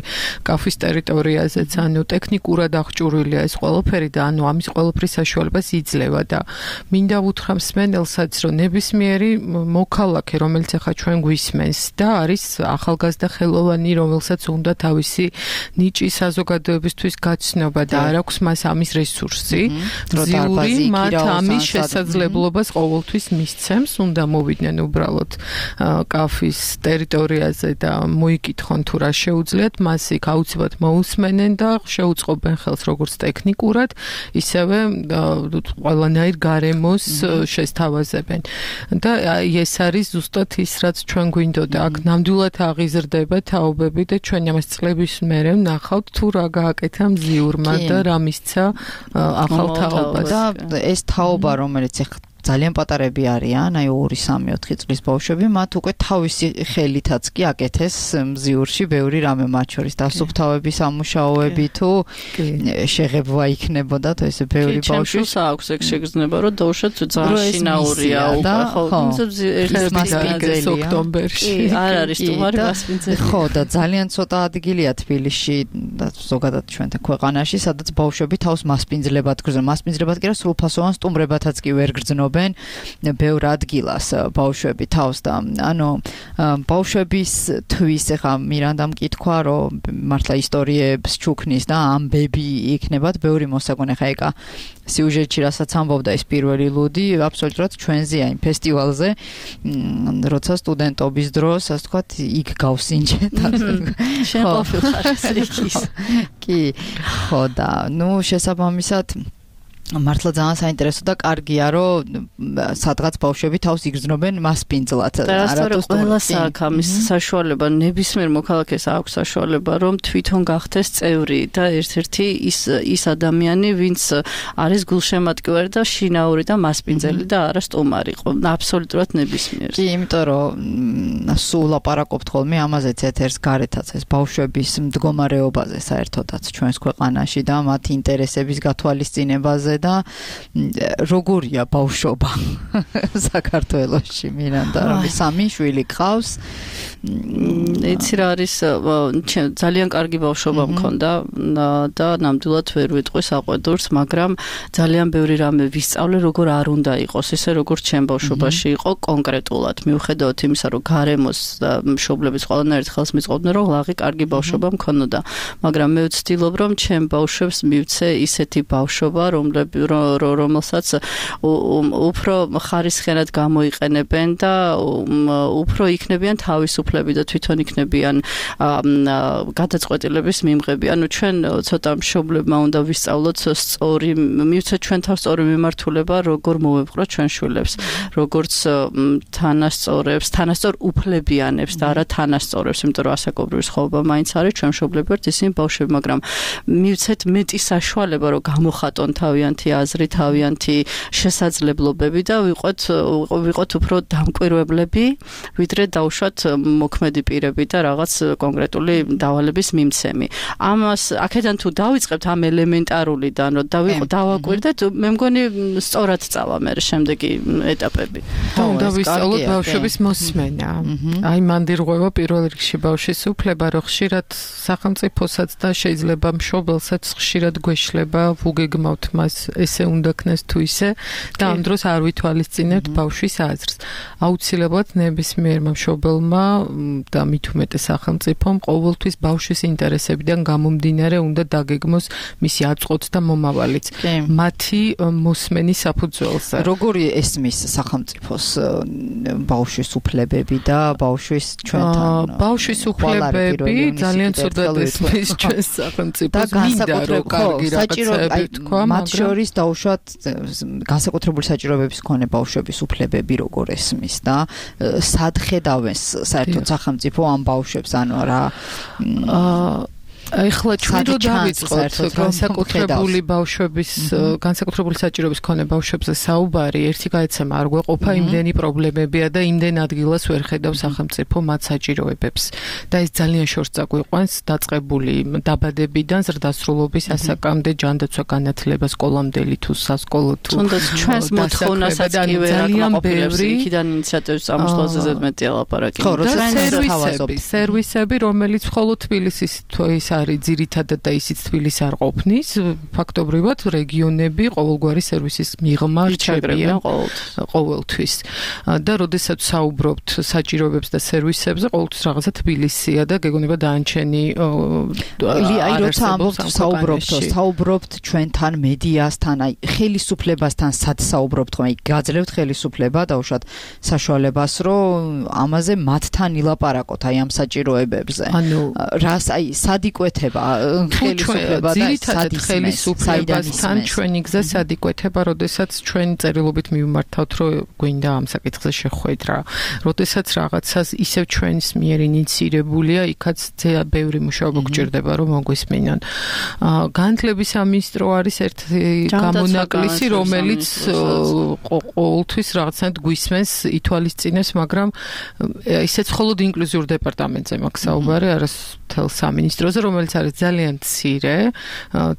კაფის ტერიტორიაზეც, ანუ ტექნიკურად აღჭურვილია ეს ყველაფერი და ანუ ამის ყველაფრის საშუალებას იძლევა და მინდა უთხრა მსმენელსაც, რომ ნებისმიერი მოქალაქე, რომელიც ახლა ჩვენ გვისმენს და არის ახალგაზრდა ხელოვანი, რომელსაც უნდა თავისი ნიჭი საზოგადოებისთვის გაცნობა და არ აქვს მას ამის რესურსი, მზიური მათ ამის შესაძლებლობას ყოველთვის მისცემს, უნდა მოვიდნენ უბრალოდ კაფის ტერიტორიაზე და მოიკითხონ თუ რა შეუძლიათ, მას იქ აუცილებლად მოусმენენ და შეუწყობენ ხელს როგორც ტექნიკურად, ისევე ყველანაირ გარემოს შესთავაზებენ. და ეს არის ზუსტად ის, რაც ჩვენ გვინდოდა. აქ ნამდვილად აღიზრდება თაობები და ჩვენ ამას წლების მერე ვნახავთ თუ რა გააკეთა მზიურმა და რა მისცა ახალ თაობას. და ეს თაობა, რომელიც ძალიან პატარები არიან, აი 2-3-4 წლის ბავშვები, მათ უკვე თავისი ხელითაც კი აკეთეს მზიურში ბევრი რამე, მათ შორის დასუფთავების ამუშაოები თუ შეღებვა იქნებოდა, თუ ესე ბევრი ბავშვი აქვს ეგ შეგრძნება, რომ დაუშვათ ძალიან შინაურია უკვე, ხო, ოქტომბერში. არ არის სტუმარი მასპინძელი. ხო, და ძალიან ცოტა ადგილია თბილისში და ზოგადად ჩვენთან ქვეყანაში, სადაც ბავშვები თავს მასპინძლებად გრძნობენ. მასპინძლებად კი არა, სრულფასოვან სტუმრებათაც კი ვერ გრძნობენ. ბევრ ადგილას ბავშვები თავს და ანუ ბავშვების თვის ახლა მირანდამ კითხვა რომ მართლა ისტორიებს ჩუქნის და ამბები იქნებათ ბევრი მოსაგონე ხა ეკა სიუჟეტში რასაც ამბობდა ეს პირველი ლუდი აბსოლუტურად ჩვენზეა იმ ფესტივალზე როცა სტუდენტობის დროს ასე ვთქვათ იქ გავსინჯეთ შენ ყოფილ ხარ სრიქის კი ხო და ნუ შესაბამისად მართლა ძალიან საინტერესო და კარგია, რომ სადღაც ბავშვები თავს იგრძნობენ მასპინძლად. არათუ ყველას აქვს ამის საშუალება, ნებისმიერ მოქალაქეს აქვს საშუალება, რომ თვითონ გახდეს წევრი და ერთ-ერთი ის ადამიანი, ვინც არის გულშემატკივარი და შინაური და მასპინძელი და არა სტუმარი. აბსოლუტურად ნებისმიერ. კი, იმიტომ რომ სულ ლაპარაკობთ ხოლმე ამაზეც ეთერს გარეთაც ეს ბავშვების მდგომარეობაზე საერთოდაც ჩვენს ქვეყანაში და მათი ინტერესების გათვალისწინებაზე და როგორია ბავშვობა საქართველოში მირანდა რომ სამი შვილი გყავს იცი რა არის ძალიან კარგი ბავშვობა მქონდა და ნამდვილად ვერ ვიტყვი საყვედურს მაგრამ ძალიან ბევრი რამე ვისწავლე როგორ არ უნდა იყოს ისე როგორც ჩემ ბავშვობაში იყო კონკრეტულად მიუხედავად იმისა რომ გარემოს და მშობლების ყველანაირად ხელს მიწყობდნენ რომ ლაღი კარგი ბავშვობა მქონოდა მაგრამ მე ვცდილობ რომ ჩემ ბავშვებს მივცე ისეთი ბავშვობა რომელსაც უფრო ხარისხიანად გამოიყენებენ და უფრო იქნებიან თავისუფლები და თვითონ იქნებიან გადაწყვეტილების მიმღები. ანუ ჩვენ ცოტა მშობლებმა უნდა ვისწავლოთ სწორი, მივცეთ ჩვენ თავს სწორი მიმართულება, როგორ მოვეპყროთ ჩვენ შვილებს, როგორც თანასწორ უფლებიანებს და არა თანასწორებს, იმიტომ რომ ასაკობრივი სხვაობა მაინც არის ჩვენ მშობლები ვართ ისინი ბავშვები, მაგრამ მივცეთ მეტი საშუალება, რომ გამოხატონ თავიანთ თავიანთი აზრი, თავიანთი შესაძლებლობები და ვიყოთ უფრო დამკვირვებლები, ვიდრე დავუშვათ მოქმედი პირები და რაღაც კონკრეტული დავალების მიმცემი. ამას აქედან თუ დავიწყებთ ამ ელემენტარულიდან, რომ დავაკვირდეთ, მე მგონი სწორად წავა მე შემდეგი ეტაპები. უნდა ვისწავლოთ ბავშვების მოსმენა. აი მანდირღვევა პირველ რიგში ბავშვის უფლება, რომ ხშირად სახელმწიფოსაც და შეიძლება მშობელსაც ხშირად გვეშლება, ვუგეგმავთ მას, ესე უნდა ქნას თუ ისე და ამ დროს არ ვითვალისწინებთ ბავშვის აზრს. აუცილებლად ნებისმიერმა მშობელმა და მით უმეტეს სახელმწიფომ ყოველთვის ბავშვის ინტერესებიდან გამომდინარე უნდა დაგეგმოს მისი აწყვეტ და მომავალიც. მათი მოსმენის საფუძველზე. როგორი ესმის სახელმწიფოს ბავშვის უფლებები და ბავშვის ჩვენთან ბავშვის უფლებები ძალიან ცუდად ესმის ჩვენს სახელმწიფოს. და განსაკუთრებული მათ შორის დაუშვათ განსაკუთრებული საჭიროებების მქონე ბავშვების უფლებები როგორ ესმის და სად ხედავენ საერთოდ სახელმწიფო ამ ბავშვებს, ანუ რა ეხლა ჩვენ რო დავიწყოთ განსაკუთრებული ბავშვების განსაკუთრებული საჭიროების მქონე ბავშვებზე საუბარი, ერთი გაეცემა არ გვეყოფა, იმდენი პრობლემებია და იმდენ ადგილას ვერ ხედავს სახელმწიფო მათ საჭიროებებს. და ეს ძალიან შორს წაგვიყვანს დაწყებული დაბადებიდან ზრდასრულობის ასაკამდე ჯანდაცვა განათლება სკოლამდელი თუ სასკოლო თუ თუნდაც ჩვენს მოთხოვნასაც კი ვერ აკმაყოფილებს იქიდან ინიციატივის წამოსვლაზე ზედმეტი ლაპარაკი. ხო, სერვისები, რომელიც მხოლოდ თბილისის არის ძირითადად და ისიც თბილისს არ ყოფნის, ფაქტობრივად რეგიონები ყოველგვარი სერვისის მიღმა რჩებიან ყოველთვის. და როდესაც საუბრობთ საჭიროებებს და სერვისებზე, ყოველთვის რაღაცა თბილისია და გეგონება დაანჩენი აი როცა საუბრობთ ჩვენთან მედიასთან, აი ხელისუფლებასთან სად საუბრობთ, ხომ აი გაძლევთ ხელისუფლება დაუშვათ საშუალებას, რომ ამაზე მათთან ილაპარაკოთ აი ამ საჭიროებებზე. რას აი სად იკვეთება ხელისუფლება და ძირითადად ხელისუფლებასთან ჩვენი გზა სად იკვეთება, როდესაც ჩვენ წერილობით მივმართავთ, რომ გვინდა ამ საკითხზე შეხვედრა. როდესაც რაღაცას ისევ ჩვენს მიერ ინიცირებულია, იქაც ბევრი მუშაობა გჭირდება, რომ მოგვისმინონ. განათლების სამინისტრო არის ერთი გამონაკლისი, რომელიც ყოველთვის რაღაცნაირად გვისმენს, ითვალისწინებს, მაგრამ ისეც მხოლოდ ინკლუზიურ დეპარტამენტზე მაქვს საუბარი, არა მთელ სამინისტროზე, რომელიც არის ძალიან მცირე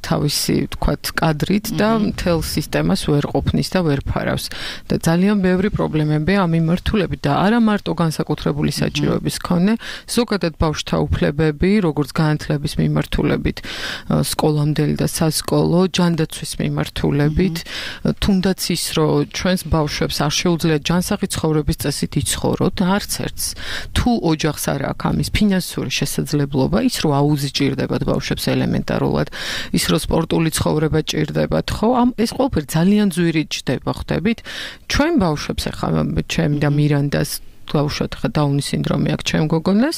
თავისი თქვათ კადრით და მთელ სისტემას ვერ ყოფნის და ვერ ფარავს. და ძალიან ბევრი პრობლემებია ამ მიმართულებით და არა მარტო განსაკუთრებული საჭიროების მქონე, ზოგადად ბავშვთა უფლებები, როგორც განათლების მიმართულებით, სკოლამდელი და სასკოლო, ჯანდაცვის მიმართულებით, თუნდაც ის, რომ ჩვენს ბავშვებს არ შეუძლიათ ჯანსაღი ცხოვრების წესით იცხოვროთ, არც ერთს. თუ ოჯახს არ აქვს ამის ფინანსური შესაძლებლობა, ის რომ აუზი ჭირდებათ ბავშვებს ელემენტარულად, ის რომ სპორტული ცხოვრება ჭირდებათ, ხო, ეს ყველაფერი ძალიან ძვირი ჯდება, ხვდებით? ჩვენ ბავშვებს ახლა ჩემი და მირანდას დავუშვათ ხა დაუნის სინდრომი აქვს ჩემ გოგონას,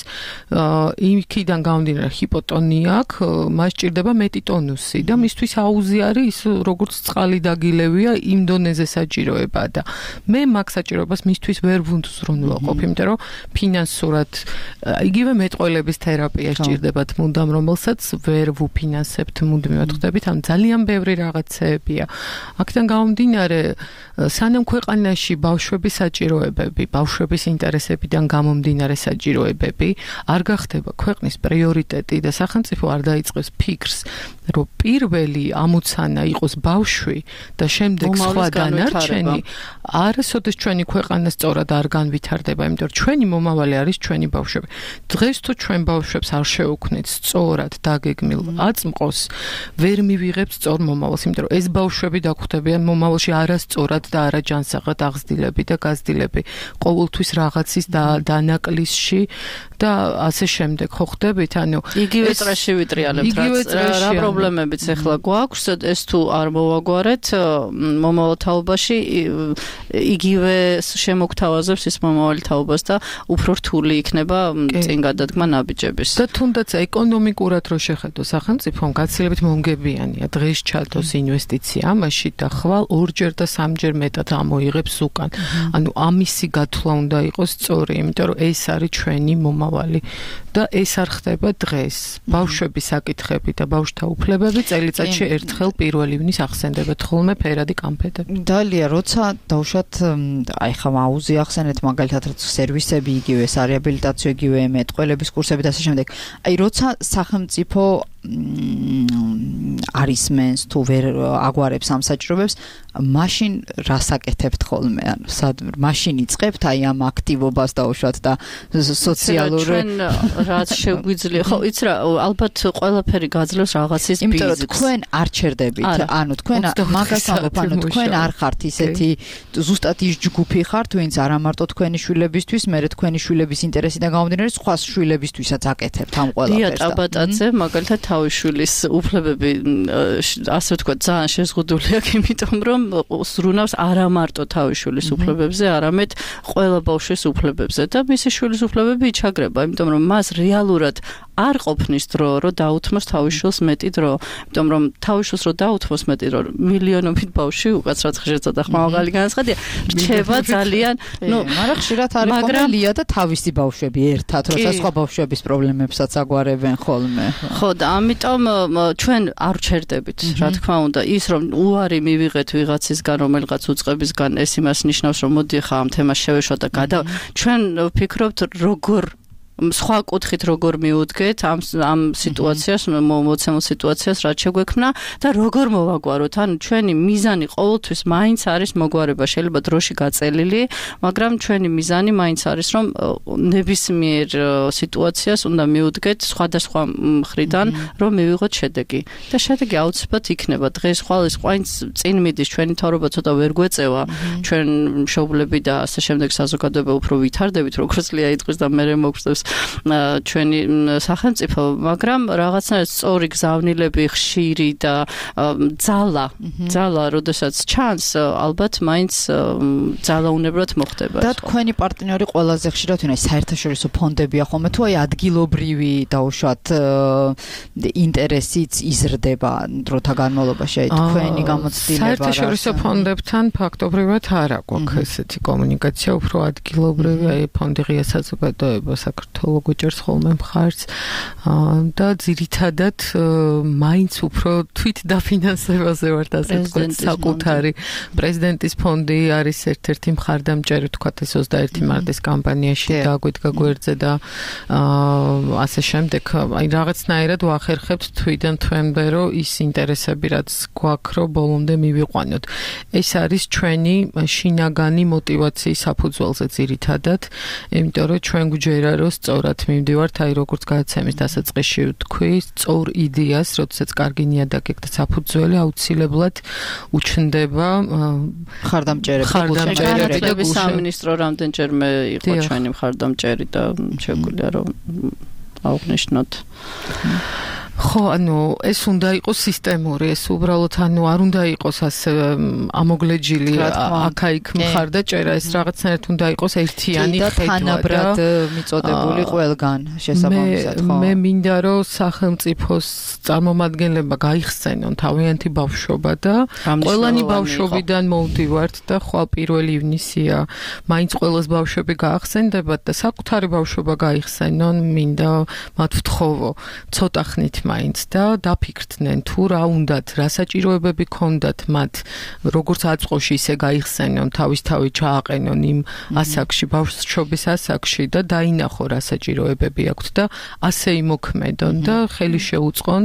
იქიდან გამომდინარე ჰიპოტონია აქვს, მას ჭირდება მეტი ტონუსი და მისთვის აუზი არის ის როგორც წყალი დაგილევია იმ დონეზე საჭიროება და მე მაგ საჭიროებას მისთვის ვერ ვუნდზრუნველყოფ, იმიტომ რომ ფინანსურად იგივე მეტყველების თერაპია სჭირდებათ მუდამ, რომელსაც ვერ ვუფინანსებთ მუდმივად, ხვდებით? ამ ძალიან ბევრი რაღაცეებია. აქედან გამომდინარე, სანამ ქვეყანაში ბავშვების საჭიროებები, ბავშვების ინტერესებიდან გამომდინარე საჭიროებები არ გახდება ქვეყნის პრიორიტეტი და სახელმწიფო არ დაიწყებს ფიქრს, რომ პირველი ამოცანა იყოს ბავშვი და შემდეგ სხვა დანარჩენი, არასოდეს ჩვენი ქვეყანა სწორად არ განვითარდება, იმიტომ რომ ჩვენი მომავალი არის ჩვენი ბავშვები. დღეს თუ ჩვენ ბავშვებს არ შევუქმნით სწორად დაგეგმილ აწმყოს, ვერ მივიღებთ სწორ მომავალს, იმიტომ რომ ეს ბავშვები დაგვხვდებიან მომავალში არასწორად და არაჯანსაღად აღზრდილები და გაზრდილები. ყოველთვის რაღაცის დანაკლისში და ასე შემდეგ, ხო ხვდებით? ანუ იგივე წრეში ვიტრიალებთ, რა პრობლემებიც ახლა გვაქვს, ეს თუ არ მოვაგვარეთ მომავალ თაობაში იგივე შემოგთავაზებს ის მომავალი თაობას და უფრო რთული იქნება წინ გადადგმა ნაბიჯების. და თუნდაც ეკონომიკურად რო შეხედო სახელმწიფომ გაცილებით მომგებიანია დღეს ჩადოს ინვესტიცია ამაში და ხვალ ორჯერ და სამჯერ მეტად ამოიღებს უკან. ანუ ამისი გათვლა უნდა იყოს სწორი, იმიტომ რომ ეს არის ჩვენი მომავალი და ეს არ ხდება დღეს. ბავშვების საკითხები და ბავშვთა უფლებები წელიწადში ერთხელ 1 ივნის ახსენდებათ ხოლმე ფერადი კამფეტები. დალია, როცა დავუშვათ, აი ხა აუზი ახსენეთ მაგალითად სერვისები იგივე, სარეაბილიტაციო იგივე, მეტყველების კურსები და ასე შემდეგ. აი როცა სახელმწიფო არის მენს თუ ვერ აგვარებს ამ საჭიროებებს, მაშინ რას აკეთებთ ხოლმე? ანუ მაშინ იწყებთ აი ამ აქტივობას დაუშვათ და სოციალურ რაც შეგვიძლია. ხო, იცი რა, ალბათ ყველაფერი გაძლევს რაღაცის ბიზნესს. იმიტომ რომ თქვენ არ ჩერდებით, ანუ თქვენ მაგას ამბობ, ანუ თქვენ არ ხართ ისეთი ზუსტად ის ჯგუფი ხართ, ვინც არა მარტო თქვენი შვილებისთვის, მერე თქვენი შვილების ინტერესიდან გამომდინარე, სხვა შვილებისთვისაც აკეთებთ ამ ყველაფერს. დია ტაბატაძე მაგალითად თავის შვილის უფლებები ასე ვთქვათ ძალიან შეზღუდული აქვს, იმიტომ რომ სრუნავს არა მარტო თავის შვილის უფლებებზე, არამედ ყველა ბავშვის უფლებებზე და მისი შვილის უფლებები იჩაგრება, იმიტომ რომ მას რეალურად არ ყოფნის დრო, რომ დაუთმოს თავის შვილს მეტი დრო, იმიტომ რომ თავის შვილს რო დაუთმოს მეტი დრო, მილიონობით ბავშვი უკაცრად ხშირად ხმავაღალი განაცხადია, რჩება ძალიან, მაგრამ ხშირად არის ხოლმე და თავისი ბავშვები ერთად, როცა სხვა ბავშვების პრობლემებსაც აგვარებენ ხოლმე. ხო, და ამიტომ ჩვენ არ ვჩერდებით, რა თქმა უნდა, ის რომ უარი მივიღეთ ვიღაცისგან, რომელიღაც უწყებისგან, ეს იმას ნიშნავს, რომ მოდი ხა ამ თემას შევეშვა და ჩვენ ვფიქრობთ როგორ სხვა კუთხით როგორ მივუდგეთ ამ სიტუაციას, მოცემულ სიტუაციას, რაც შეგვექმნა და როგორ მოვაგვაროთ. ანუ ჩვენი მიზანი ყოველთვის მაინც არის მოგვარება, შეიძლება დროში გაწელილი, მაგრამ ჩვენი მიზანი მაინც არის, რომ ნებისმიერ სიტუაციას უნდა მივუდგეთ სხვადასხვა მხრიდან, რომ მივიღოთ შედეგი. და შედეგი აუცილებლად იქნება. დღეს ყვაინც წინ მიდის, ჩვენი თავრობა ცოტა ვერ გვეწევა, ჩვენ მშობლები და ასე შემდეგ საზოგადოება უფრო ვითარდებით, როგორც ლია იტყვის და მე მოგწევს ჩვენი სახელმწიფო, მაგრამ რაღაცნაირად სწორი გზავნილები, ხშირი და ძალა, როდესაც ჩანს, ალბათ მაინც ძალაუნებრად მოხდება. და თქვენი პარტნიორი ყველაზე ხშირად ვინ არის? საერთაშორისო ფონდებია ხოლმე თუ აი ადგილობრივი დაუშვათ ინტერესიც იზრდება დროთა განმავლობაში, აი თქვენი გამოცდილება. საერთაშორისო ფონდებთან ფაქტობრივად არ აქვს ესეთი კომუნიკაცია, უფრო ადგილობრივი, აი ფონდი ღია საზოგადოება საქართველოს გუჭერს ხოლმე მხარს და ძირითადად მაინც უფრო თვით დაფინანსებაზე ვართ, ასე ვთქვათ, საკუთარი პრეზიდენტის ფონდი არის ერთ-ერთი მხარდამჭერი, ვთქვათ, ეს 21 მარტის კამპანიაში გაგვიდგა გვერდზე და ასე შემდეგ, აი რაღაცნაირად ვახერხებთ თვიდან თვემდე, რომ ის ინტერესები რაც გვაქვს, რომ ბოლომდე მივიყვანოთ. ეს არის ჩვენი შინაგანი მოტივაციის საფუძველზე ძირითადად, იმიტომ რომ ჩვენ გვჯერა, რომ სწორად მივდივართ, აი როგორც გადაცემის დასაწყისში ვთქვი, სწორ იდეას, როდესაც კარგი ნიადაგი და საფუძველი აუცილებლად უჩნდება მხარდამჭერები და სამინისტრო რამდენჯერმე იყო ჩვენი მხარდამჭერი და შეგვიძლია რომ აღვნიშნოთ. ხო, ანუ ეს უნდა იყოს სისტემური, ეს უბრალოდ ანუ არ უნდა იყოს ასე ამოგლეჯილი აქა-იქ მხარდაჭერა, ეს რაღაცნაირად უნდა იყოს ერთიანი ხედვა და თანაბრად მიწოდებული ყველგან შესაბამისად, ხო. მე მინდა რომ სახელმწიფოს წარმომადგენლებმა გაიხსენონ თავიანთი ბავშვობა და ყველანი ბავშვობიდან მოვდივართ და ხვალ 1 ივნისია, მაინც ყველას ბავშვები გაახსენდებათ და საკუთარი ბავშვობა გაიხსენონ, მინდა მათ ვთხოვო, ცოტა ხნით მაინც და დაფიქრდნენ თუ რა უნდათ, რა საჭიროებები ქონდათ მათ, როგორც აწყოში ისე გაიხსენონ, თავისთავად ჩააყენონ იმ ასაკში, ბავშვობის ასაკში და დაინახო რა საჭიროებები აქვთ და ასე იმოქმედონ და ხელი შეუწყონ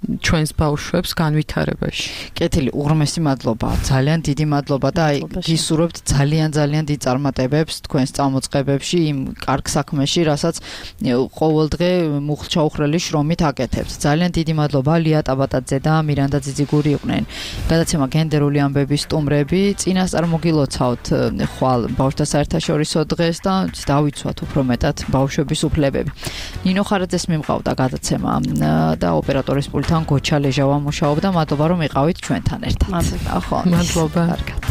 ჩვენს ბავშვებს განვითარებაში. კეთილი, უღრმესი მადლობა, ძალიან დიდი მადლობა და აი გისურვებთ ძალიან დიდ წარმატებებს თქვენს წამოწყებებში, იმ კარგ საქმეში, რასაც ყოველდღე მუხლჩაუხრელი შრომით აკეთებთ. ძალიან დიდი მადლობა ლია ტაბატაძე და მირანდა ძიძიგური იყვნენ. გადაცემა გენდერული ამბების სტუმრები, წინასწარ მოგილოცავთ ხვალ ბავშვთა საერთაშორისო დღეს და დავიცვათ უფრო მეტად ბავშვების უფლებები. ნინო ხარაძეს მიმყავდა გადაცემა და ოპერატორის პულტი გოჩა ლეჟავა მუშაობდა, მადლობა რომ იყავით ჩვენთან ერთად. მადლობა. კარგად.